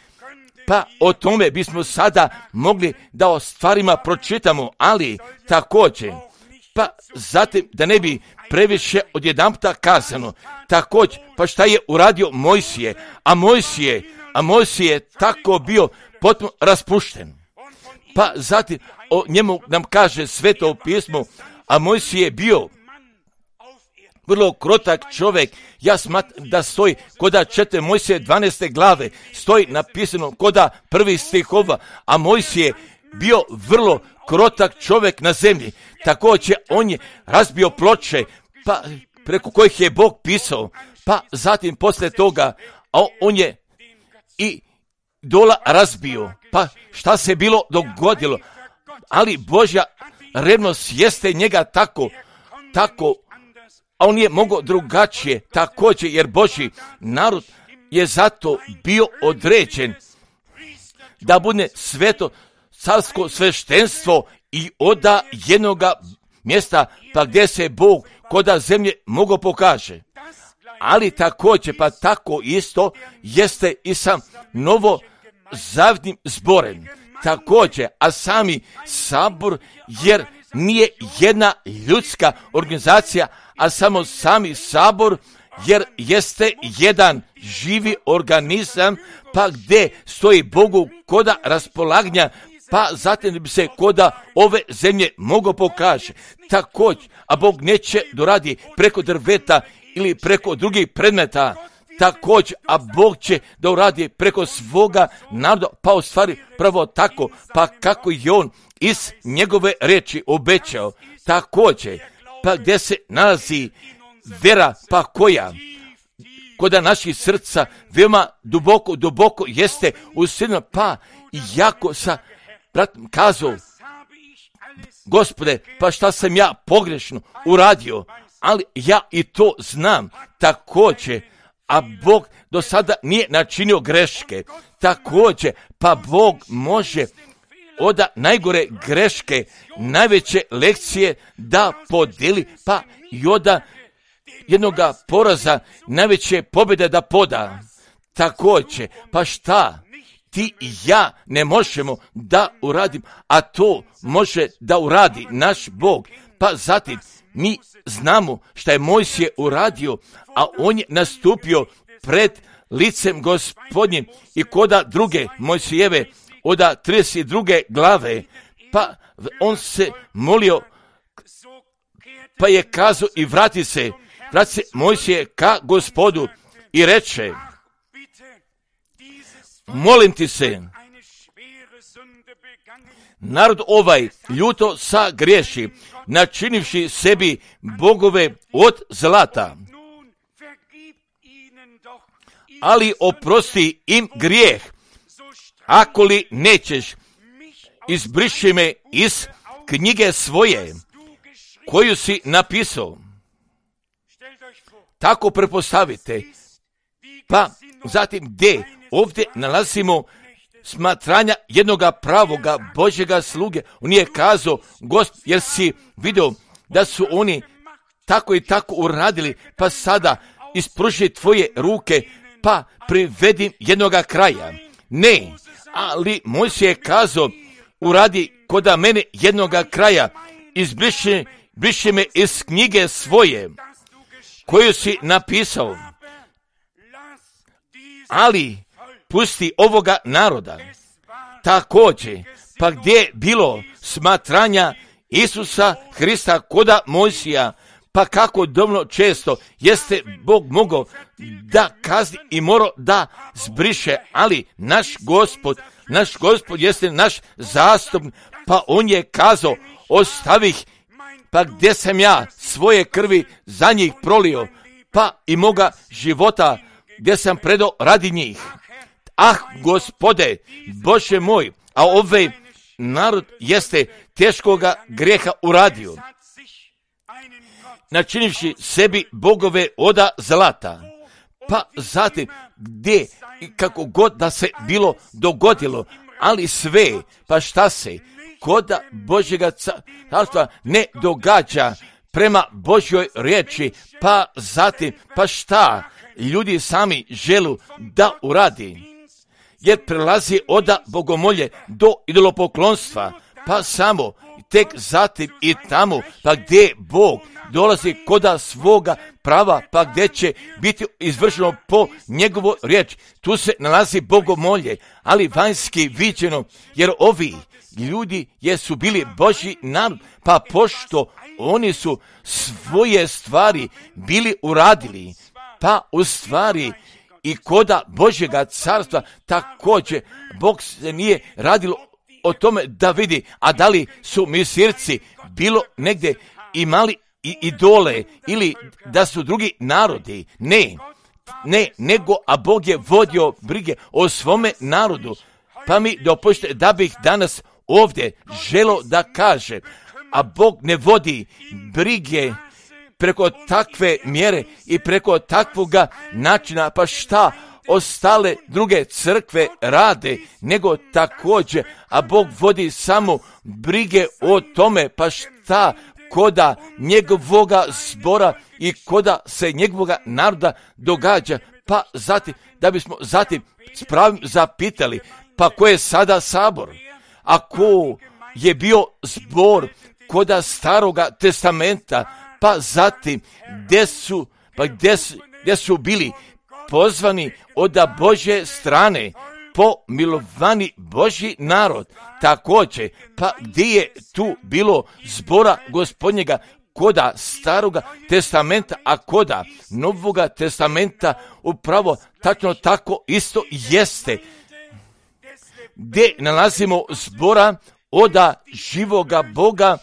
pa o tome bismo sada mogli da o stvarima pročitamo, ali također, pa zatim da ne bi previše odjedanputa kazano, također, pa šta je uradio Mojsije, a Mojsije je tako bio potpuno raspušten. Pa zatim o njemu nam kaže Sveto pismo, a Mojsije je bio vrlo krotak čovjek, ja smatram da stoji koda 4 Mojsije 12. glave, stoji napisano koda 1. stihova, a Mojsije je bio vrlo krotak čovjek na zemlji, također on je razbio ploče, pa preko kojih je Bog pisao, pa zatim poslije toga, a on je i dola razbio, pa šta se bilo dogodilo, ali Božja revnost jeste njega tako, a on je mogao drugačije, također, jer Božji narod je zato bio određen da bude sveto carsko sveštenstvo i oda jednoga mjesta pa gdje se Bog koda zemlje mogao pokaže. Ali također, pa tako isto jeste i sa novozavjetnim zborem. Također, a sami sabor, jer nije jedna ljudska organizacija, a samo sami sabor, jer jeste jedan živi organizam, pa gdje stoji Bogu koda raspolaganja, pa zatim bi se koda ove zemlje mogao pokaže. Također, a Bog neće doradi preko drveta ili preko drugih predmeta, također, a Bog će da uradi preko svoga naroda, pa u stvari pravo tako, pa kako je on iz njegove riječi obećao, također, pa gdje se nalazi vera, pa koja koda naših srca veoma duboko jeste usidno, pa jako sa bratom kazao, Gospode, pa šta sam ja pogrešno uradio, ali ja i to znam također, a Bog do sada nije načinio greške, također, pa Bog može od najgore greške, najveće lekcije da podeli, pa i od jednoga poraza najveće pobjede da poda. Također, pa šta ti i ja ne možemo da uradim, a to može da uradi naš Bog. Pa zatim mi znamo šta je Mojsije uradio, a on je nastupio pred licem Gospodnjim i koda druge Mojsijeve od 32. glave, pa on se molio, pa je kazao i vrati se Mojsije ka Gospodu i reče, molim ti se, narod ovaj ljuto sagriješi, načinivši sebi bogove od zlata, ali oprosti im grijeh, ako li nećeš, izbriši me iz knjige svoje, koju si napisao. Tako prepostavite, pa zatim gdje ovdje smatranja jednoga pravoga Božjega sluge. On je kazao, jer si vidio da su oni tako i tako uradili, pa sada ispruži tvoje ruke, pa privedim jednoga kraja. Ne, ali Mojsije je kazao, uradi koda mene jednoga kraja, izbriši me iz knjige svoje, koju si napisao, ali pusti ovoga naroda. Također, pa gdje je bilo smatranja Isusa Hrista koda Mojsija, pa kako dovoljno često jeste Bog mogao da kazni i morao da zbriše, ali naš Gospod jeste naš zastupnik, pa on je kazao, ostavih, pa gdje sam ja svoje krvi za njih prolio, pa i moga života gdje sam predao radi njih. Ah, Gospode, Bože moj, a ovaj narod jeste teškoga grijeha uradio, načinivši sebi bogove oda zlata. Pa zatim, gdje i kako god da se bilo dogodilo, ali sve, pa šta se koda Božjega carstva ne događa prema Božjoj riječi, pa zatim, pa šta ljudi sami želu da uradi, jer prelazi od bogomolje do idolopoklonstva, pa samo tek zatim i tamo, pa gdje Bog dolazi koda svoga prava, pa gdje će biti izvršeno po njegovoj riječi. Tu se nalazi bogomolje, ali vanjski viđeno, jer ovi ljudi jesu bili Božji narod, pa pošto oni su svoje stvari bili uradili, pa u stvari i koda Božjega carstva također Bog se nije radilo o tome da vidi, a da li su misirci bilo negdje imali idole ili da su drugi narodi. Ne, nego, a Bog je vodio brige o svome narodu. Pa mi dopustite da bih danas ovdje želo da kaže, a Bog ne vodi brige preko takve mjere i preko takvoga načina, pa šta ostale druge crkve rade, nego također, a Bog vodi samo brige o tome, pa šta koda njegovoga zbora i koda se njegovoga naroda događa, pa zatim, da bismo zatim s pravim zapitali, pa ko je sada sabor, a ko je bio zbor koda Staroga testamenta, pa zatim gdje su bili pozvani od Božje strane, pomilovani Božji narod, također, pa gdje je tu bilo zbora Gospodnjega koda Staroga testamenta, a koda Novoga testamenta upravo tačno tako isto jeste, gdje nalazimo zbora oda živoga Boga,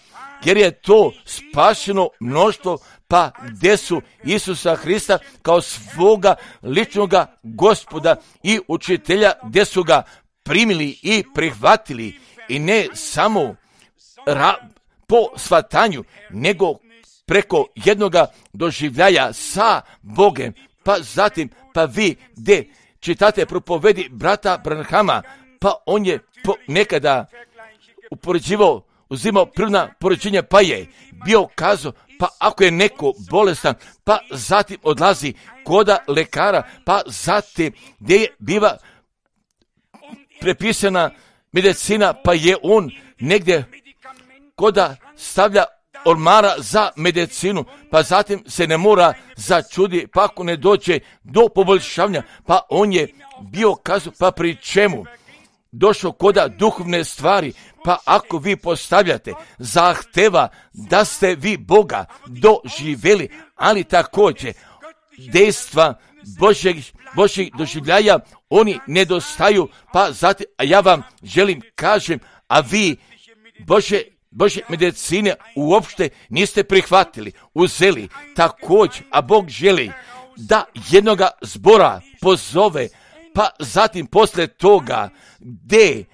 jer je to spašeno mnoštvo, pa gdje su Isusa Hrista kao svoga ličnoga Gospoda i učitelja, gdje su ga primili i prihvatili, i ne samo po shvatanju, nego preko jednoga doživljaja sa Bogem. Pa zatim, pa vi gdje čitate propovedi brata Branhama, pa on je nekada upoređivao, uzimao prvna poređenja, pa je bio kazao, pa ako je neko bolestan, pa zatim odlazi koda lekara, pa zatim gdje je biva prepisana medicina, pa je on negdje koda stavlja ormara za medicinu, pa zatim se ne mora začudi, pa ako ne dođe do poboljšavanja, pa on je bio kazao, pa pri čemu došao koda duhovne stvari, pa ako vi postavljate zahteva da ste vi Boga doživjeli, ali također dejstva Božjeg doživljaja, oni nedostaju, pa zatim, a ja vam želim kažem, a vi Božje medicine uopšte niste prihvatili, uzeli, također, a Bog želi da jednoga zbora pozove, pa zatim posle toga gdje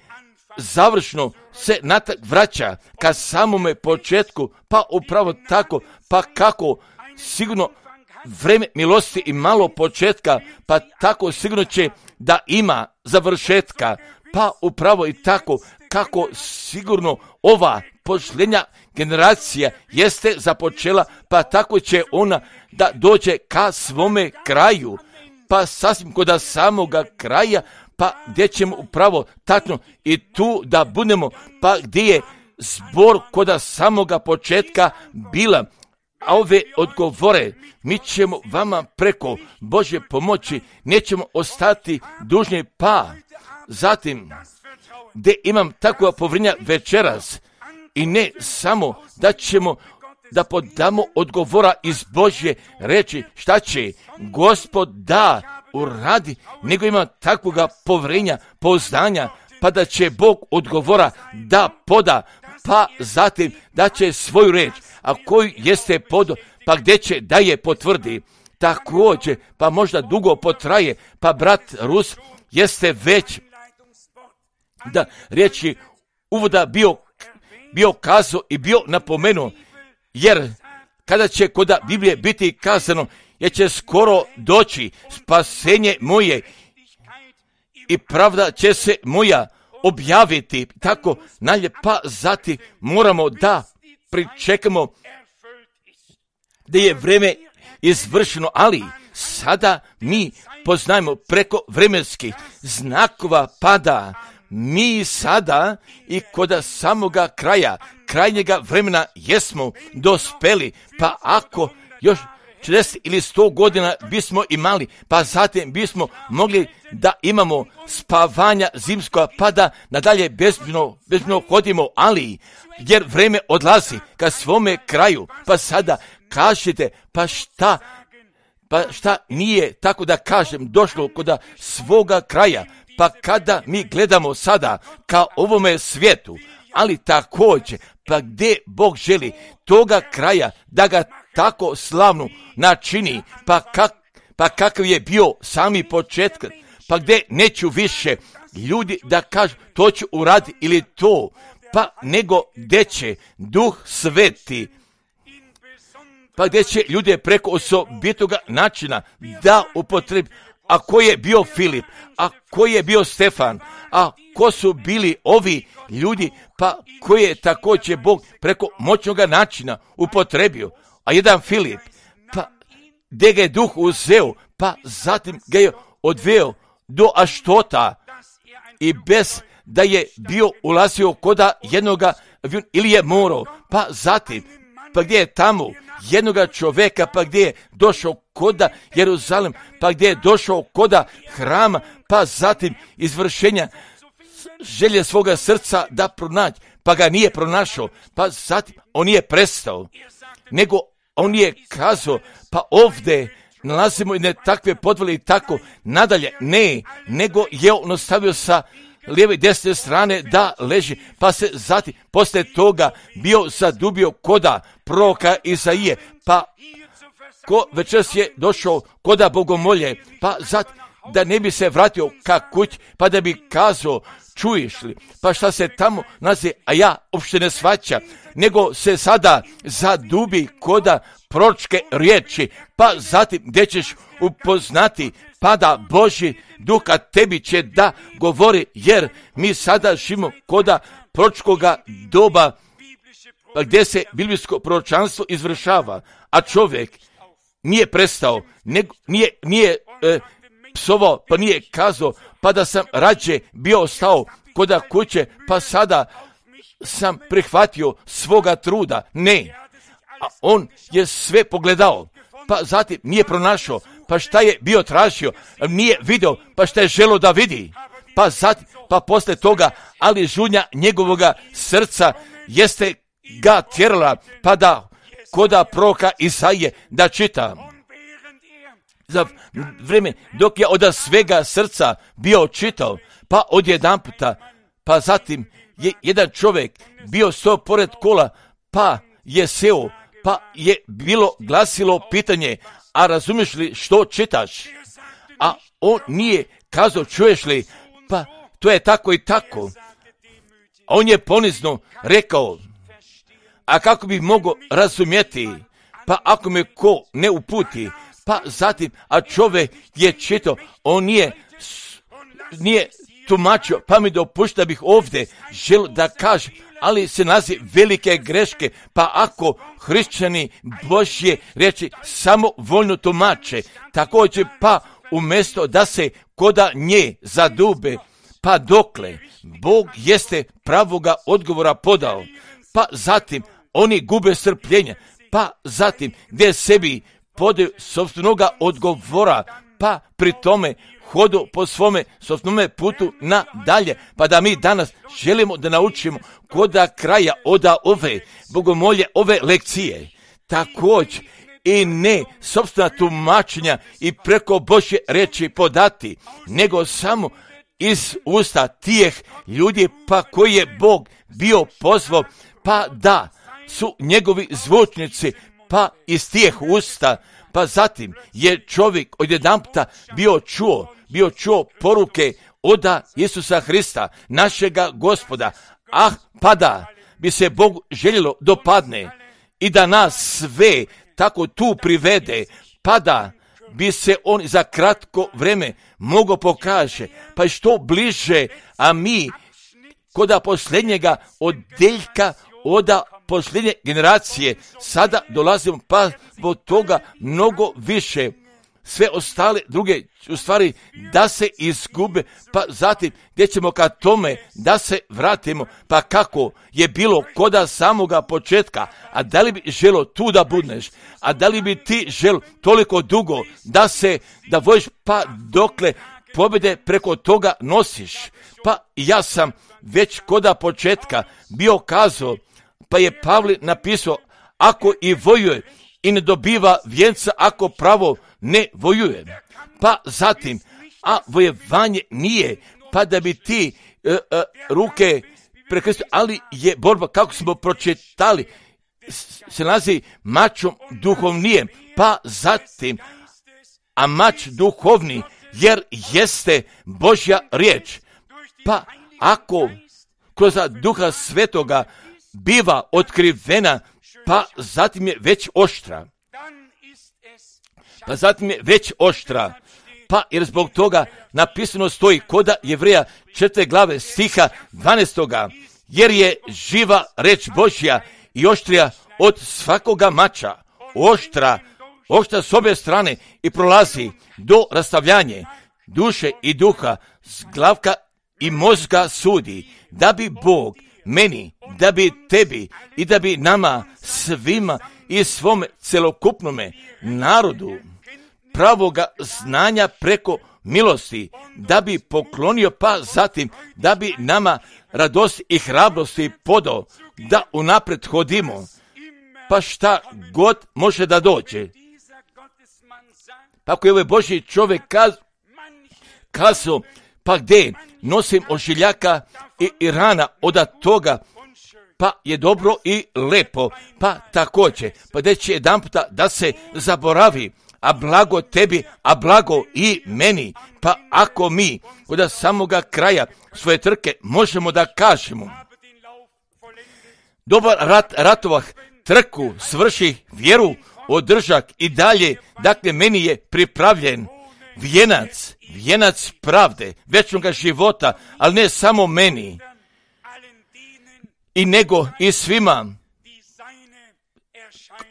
završno se natak vraća ka samome početku, pa upravo tako, pa kako sigurno vreme milosti i malo početka, pa tako sigurno će da ima završetka, pa upravo i tako kako sigurno ova posljednja generacija jeste započela, pa tako će ona da dođe ka svome kraju, pa sasvim kod samoga kraja, pa gdje ćemo upravo tačno i tu da budemo, pa gdje je zbor kod samoga početka bila. A ove odgovore mi ćemo vama preko Božje pomoći, nećemo ostati dužni, pa zatim gdje imam takva povjerenja večeras, i ne samo da ćemo da podamo odgovora iz Božje reči šta će Gospod da uradi, nego ima takvoga povjerenja, poznanja, pa da će Bog odgovora da poda, pa zatim da će svoju reč, a koju jeste podo, pa gdje će da je potvrdi. Također, pa možda dugo potraje, pa brat Rus jeste već da riječi uvoda bio kazao i bio napomenuo, jer kada će kod Biblije biti kazano, jer će skoro doći spasenje moje i pravda će se moja objaviti, tako nalje, pa zatim moramo da pričekamo da je vreme izvršeno, ali sada mi poznajemo preko vremenskih znakova pada, mi sada i kod samoga kraja, krajnjega vremena jesmo dospeli, pa ako još 40 ili 100 godina bismo imali, pa zatim bismo mogli da imamo spavanja zimskoga, pa da nadalje bezbino hodimo, ali jer vreme odlazi ka svome kraju, pa sada kažete, pa šta nije, tako da kažem, došlo kod svoga kraja, pa kada mi gledamo sada ka ovome svijetu, ali također, pa gdje Bog želi toga kraja da ga tako slavno načini, pa kakav je bio sami početak, pa gdje neću više ljudi da kažu to ću uraditi ili to, pa nego gdje će Duh Sveti, pa gdje će ljude preko osobitoga načina da upotrebi. A ko je bio Filip, a ko je bio Stefan, a ko su bili ovi ljudi, pa koji je također Bog preko moćnog načina upotrebio. A jedan Filip, pa gdje ga je Duh uzeo, pa zatim ga je odveo do Aštota i bez da je bio ulazio koda jednoga ili je morao, pa zatim, pa gdje je tamo jednoga čovjeka, pa gdje je došao koda Jeruzalem, pa gdje je došao koda hrama, pa zatim izvršenja želje svoga srca da pronaći, pa ga nije pronašao, pa zatim on nije prestao, nego on je kazao, pa ovdje nalazimo jedne takve podvale i tako nadalje, ne, nego je on ostavio sa lijeve i desne strane da leži, pa se zatim poslije toga bio zadubio koda proroka Izaije, pa ko večeras je došao koda bogomolje, pa zatim da ne bi se vratio ka kući, pa da bi kazao, čuješ li, pa šta se tamo nalazi, a ja uopšte ne shvaćam, nego se sada zadubi koda proročke riječi, pa zatim gdje ćeš upoznati, pa da Božji Duh tebi će da govori, jer mi sada živimo koda proročkoga doba, pa gdje se biblijsko proročanstvo izvršava, a čovjek nije prestao, nije psovao, pa nije kazao, pa da sam rađe bio ostao koda kuće, pa sada sam prihvatio svoga truda. Ne, a on je sve pogledao, pa zatim nije pronašao, pa šta je bio tražio, nije vidio, pa šta je želio da vidi, pa zatim, pa posle toga, ali žunja njegovoga srca jeste ga tjerala, pa da koda proroka Isaije da čita. Za vrijeme dok je od svega srca bio čitao, pa odjedanputa, pa zatim je jedan čovjek bio stao pored kola, pa je seo, pa je bilo glasilo pitanje, a razumiješ li što čitaš? A on nije kazao, čuješ li, pa to je tako i tako. A on je ponizno rekao, a kako bi mogao razumjeti, pa ako me ko ne uputi, pa zatim, a čovjek je čitao, on nije tumačio, pa mi dopušta da bih ovdje želio da kažem, ali se nalazi velike greške, pa ako hrišćani Božje riječi samo voljno tumače, također pa umjesto da se koda nje zadube, pa dokle Bog jeste pravoga odgovora podao, pa zatim oni gube strpljenja, pa zatim gdje sebi podaju sopstvenoga odgovora, pa pri tome hodu po svome sopstvenome putu nadalje, pa da mi danas želimo da naučimo koda kraja oda ove bogomolje, ove lekcije, također i ne sopstvena tumačenja i preko Božje riječi podati, nego samo iz usta tih ljudi, pa koji je Bog bio pozvao, pa da su njegovi zvučnici, pa iz tih usta, pa zatim je čovjek odjedanputa bio čuo poruke oda Isusa Hrista, našega Gospoda, pa da bi se Bogu željelo dopadne i da nas sve tako tu privede, pa da bi se on za kratko vrijeme mogao pokaže, pa što bliže, a mi koda posljednjega odjeljka oda posljednje generacije sada dolazimo, pa od toga mnogo više, sve ostale druge u stvari da se izgube, pa zatim gdje ćemo ka tome da se vratimo, pa kako je bilo koda samoga početka, a da li bi želo tu da budneš, a da li bi ti želo toliko dugo da voješ, pa dokle pobjede preko toga nosiš, pa ja sam već koda početka bio kazao, pa je Pavle napisao, ako i vojuje i ne dobiva vjenca, ako pravo ne vojuje. Pa zatim, a vojevanje nije, pa da bi ti ruke prekrstio, ali je borba, kako smo pročitali, se nalazi mačom duhovnijem, pa zatim, a mač duhovni, jer jeste Božja riječ. Pa ako kroz Duha Svetoga biva otkrivena, pa zatim je već oštra. Pa jer zbog toga napisano stoji koda Jevreja 4. glave stiha 12. Jer je živa reč Božja i oštrija od svakoga mača, oštra s obje strane i prolazi do rastavljanja duše i duha, glavka i mozga sudi, da bi Bog meni, da bi tebi i da bi nama svima i svome celokupnome narodu pravoga znanja preko milosti, da bi poklonio, pa zatim da bi nama radost i hrabrosti podao, da unaprijed hodimo, pa šta god može da dođe. Pa ako je ovaj Božji čovjek kazao, pa gdje nosim ožiljaka i rana od toga, pa je dobro i lepo, pa također, pa gdje će jedan puta da se zaboravi, a blago tebi, a blago i meni. Pa ako mi od samoga kraja svoje trke možemo da kažemo, dobar ratovah, trku svrši, vjeru održak i dalje, dakle meni je pripravljen vijenac pravde, večnoga života, ali ne samo meni, i nego i svima,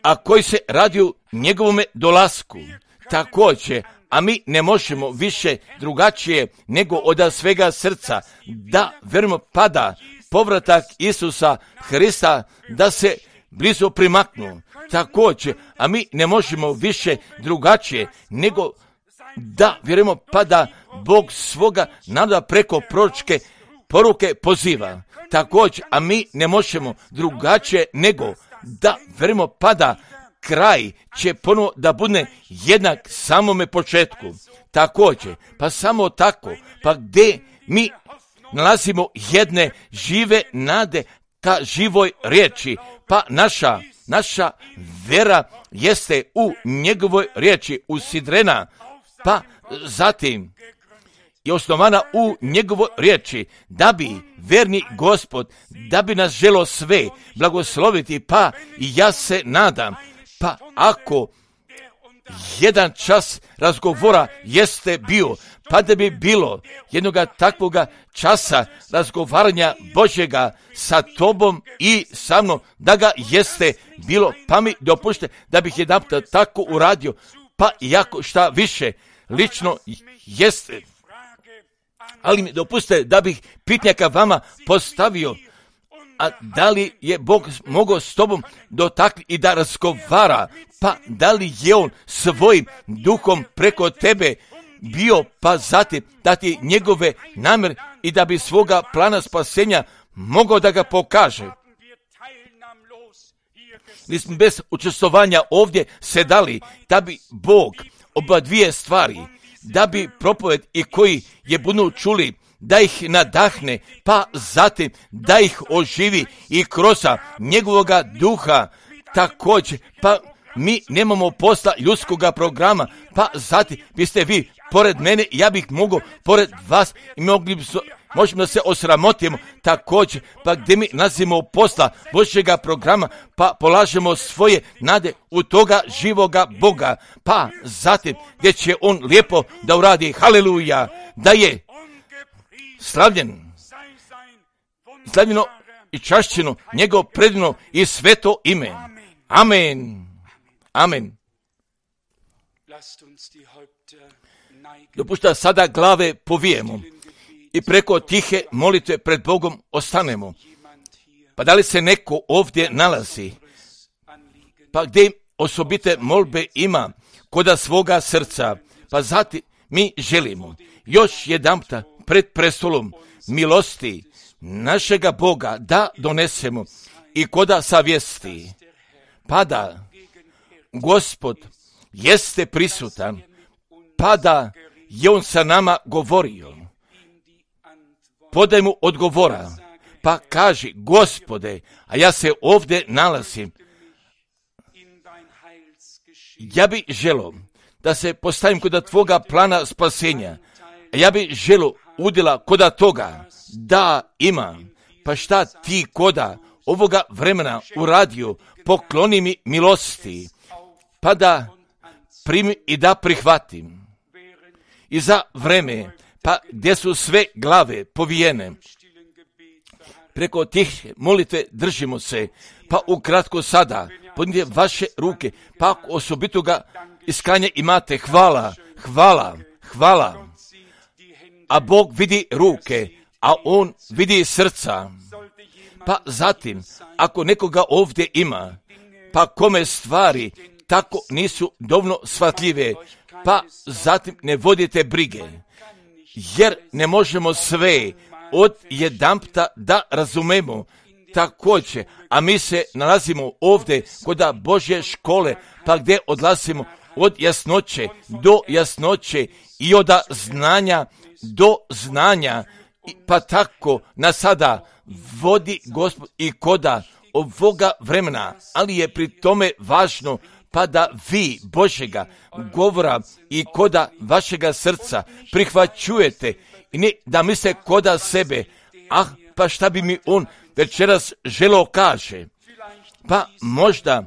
a koji se radiju njegovome dolasku. Također, a mi ne možemo više drugačije nego od svega srca da verujemo pada povratak Isusa Hrista, da se blizu primaknu. Također, a mi ne možemo više drugačije nego da vjerujemo pa da Bog svoga naroda preko proročke poruke poziva. Također, a mi ne možemo drugačije nego da vjerujemo pa da kraj će ponovo da bude jednak samome početku. Također, pa samo tako, pa gdje mi nalazimo jedne žive nade ka živoj riječi, pa naša vera jeste u njegovoj riječi usidrena, pa zatim je osnovana u njegovoj riječi, da bi verni Gospod, da bi nas želo sve blagosloviti, pa i ja se nadam, pa ako jedan čas razgovora jeste bio, pa da bi bilo jednoga takvoga časa razgovaranja Božjega sa tobom i sa mnom, da ga jeste bilo, pa mi dopušte da bih jedan tako uradio, pa iako šta više lično jeste, ali mi dopuste da bih pitnjaka vama postavio, a da li je Bog mogao s tobom dotaknuti i da razgovara, pa da li je on svojim duhom preko tebe bio, pa zatim da ti njegove namjere i da bi svoga plana spasenja mogao da ga pokaže. Mi smo bez učestvovanja ovdje sedali, da bi Bog oba dvije stvari, da bi propoved i koji je budu čuli, da ih nadahne, pa zatim da ih oživi i kroz njegovoga duha. Također, pa mi nemamo posla ljudskoga programa, pa zatim biste vi pored mene, ja bih mogao pored vas i možemo da se osramotimo. Također, pa gdje mi nalazimo posla Božjega programa, pa polažemo svoje nade u toga živoga Boga, pa zatim gdje će on lijepo da uradi, haleluja, da je slavljeno i čašćeno njegov predivno i sveto ime. Amen. Amen. Dopušta sada glave povijemo i preko tihe molitve pred Bogom ostanemo. Pa da li se neko ovdje nalazi, pa gdje osobite molbe ima koda svoga srca, pa zatim mi želimo još jedanputa pred prestolom milosti našega Boga da donesemo i koda savjesti, pa da Gospod jeste prisutan, pa da je on sa nama govorio. Podaj mu odgovora, pa kaži, Gospode, a ja se ovdje nalazim. Ja bi želio da se postavim kod tvoga plana spasenja. Ja bi želio udjela kod toga da imam. Pa šta ti koda ovoga vremena uradio, pokloni mi milosti, pa da primim i da prihvatim. I za vreme, pa gdje su sve glave povijene, preko tih molitve držimo se, pa ukratko sada, podignite vaše ruke, pa ako osobitoga iskanje imate, hvala, hvala, hvala. A Bog vidi ruke, a On vidi srca. Pa zatim, ako nekoga ovdje ima, pa kome stvari tako nisu dovoljno shvatljive, pa zatim ne vodite brige, jer ne možemo sve od jedanputa da razumemo također, a mi se nalazimo ovdje kod Božje škole, pa gdje odlazimo od jasnoće do jasnoće i od znanja do znanja, pa tako na sada vodi Gospod i koda ovoga vremena, ali je pri tome važno pa da vi Božjega govora i koda vašega srca prihvaćujete i ne da misle koda sebe, pa šta bi mi on večeras želeo kaže. Pa možda,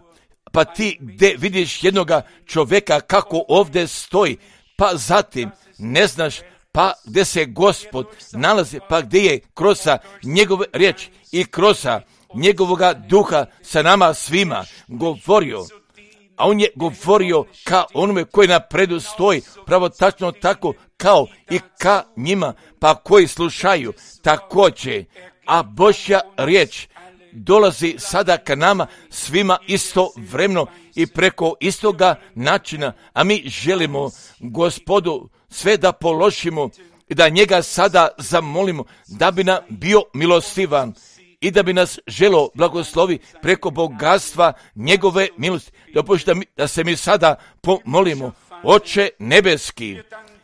pa ti gdje vidiš jednoga čovjeka kako ovdje stoji, pa zatim ne znaš pa gdje se Gospod nalazi, pa gdje je kroz njegove riječi i kroz njegovoga duha sa nama svima govorio. A on je govorio ka onome koji napredu stoji, pravo tačno tako kao i ka njima, pa koji slušaju također. A Božja riječ dolazi sada ka nama svima istovremeno i preko istoga načina, a mi želimo Gospodu sve da položimo i da njega sada zamolimo da bi nam bio milostivan i da bi nas želo blagoslovi preko bogatstva njegove milosti. Dopušta da se mi sada pomolimo. Oče nebeski,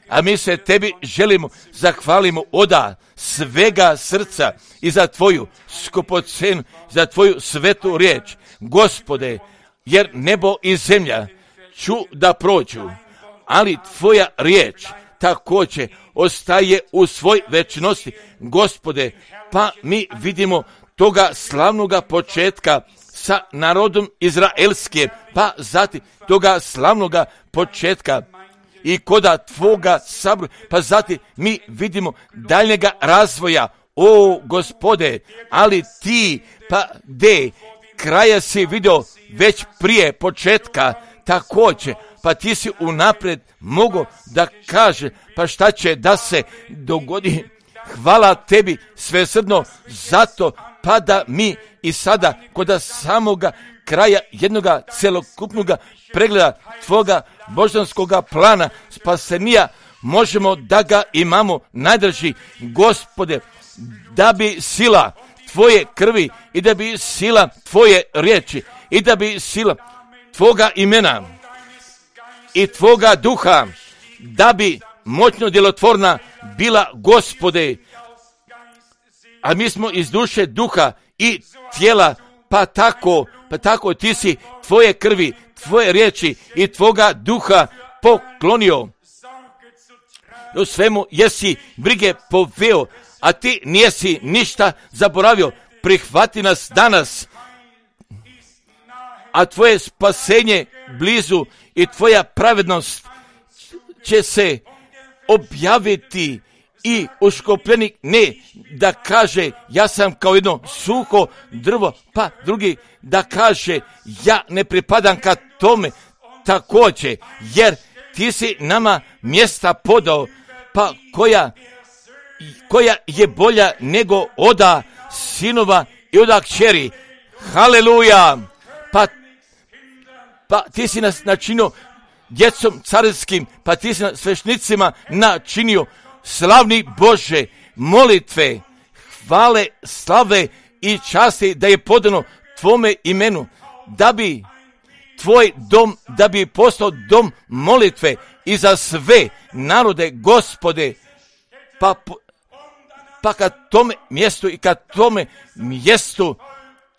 a mi se tebi želimo, zahvalimo oda svega srca i za tvoju skupocenu, za tvoju svetu riječ. Gospode, jer nebo i zemlja ću da prođu, ali tvoja riječ također ostaje u svoj večnosti. Gospode, pa mi vidimo toga slavnoga početka sa narodom izraelskim, pa zatim toga slavnoga početka i koda tvoga sabora, pa zatim mi vidimo daljnjega razvoja, o Gospode, ali ti, pa gdje kraja si vidio već prije početka također, pa ti si unaprijed mogo da kaže, pa šta će da se dogodi. Hvala tebi svesrdno zato, pa da mi i sada kod samoga kraja jednoga celokupnoga pregleda tvoga božanskoga plana spasenija možemo da ga imamo najdrži, Gospode, da bi sila tvoje krvi i da bi sila tvoje riječi i da bi sila tvoga imena i tvoga duha da bi moćno djelotvorna bila, Gospode, a mi smo iz duše, duha i tijela, pa tako ti si tvoje krvi, tvoje riječi i tvoga duha poklonio. U svemu jesi brige poveo, a ti nijesi ništa zaboravio. Prihvati nas danas, a tvoje spasenje blizu i tvoja pravednost će se objaviti i uškopljenik ne da kaže ja sam kao jedno suho drvo, pa drugi da kaže ja ne pripadam ka tome također, jer ti si nama mjesta podao, pa koja je bolja nego oda sinova i oda kćeri. Haleluja! Pa ti si nas načinio djecom carinskim, pa ti si nas svešnicima načinio. Slavni Bože, molitve, hvale, slave i časti da je podano tvome imenu, da bi tvoj dom, da bi postao dom molitve i za sve narode, Gospode, pa ka tome mjestu i ka tome mjestu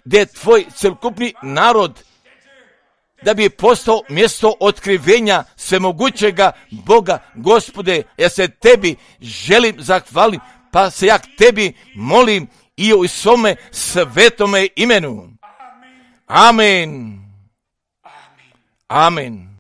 gdje je tvoj celokupni narod, da bi postao mjesto otkrivenja svemogućega Boga. Gospode, ja se tebi želim zahvaliti, pa se ja tebi molim i u svome svetome imenu. Amen. Amen.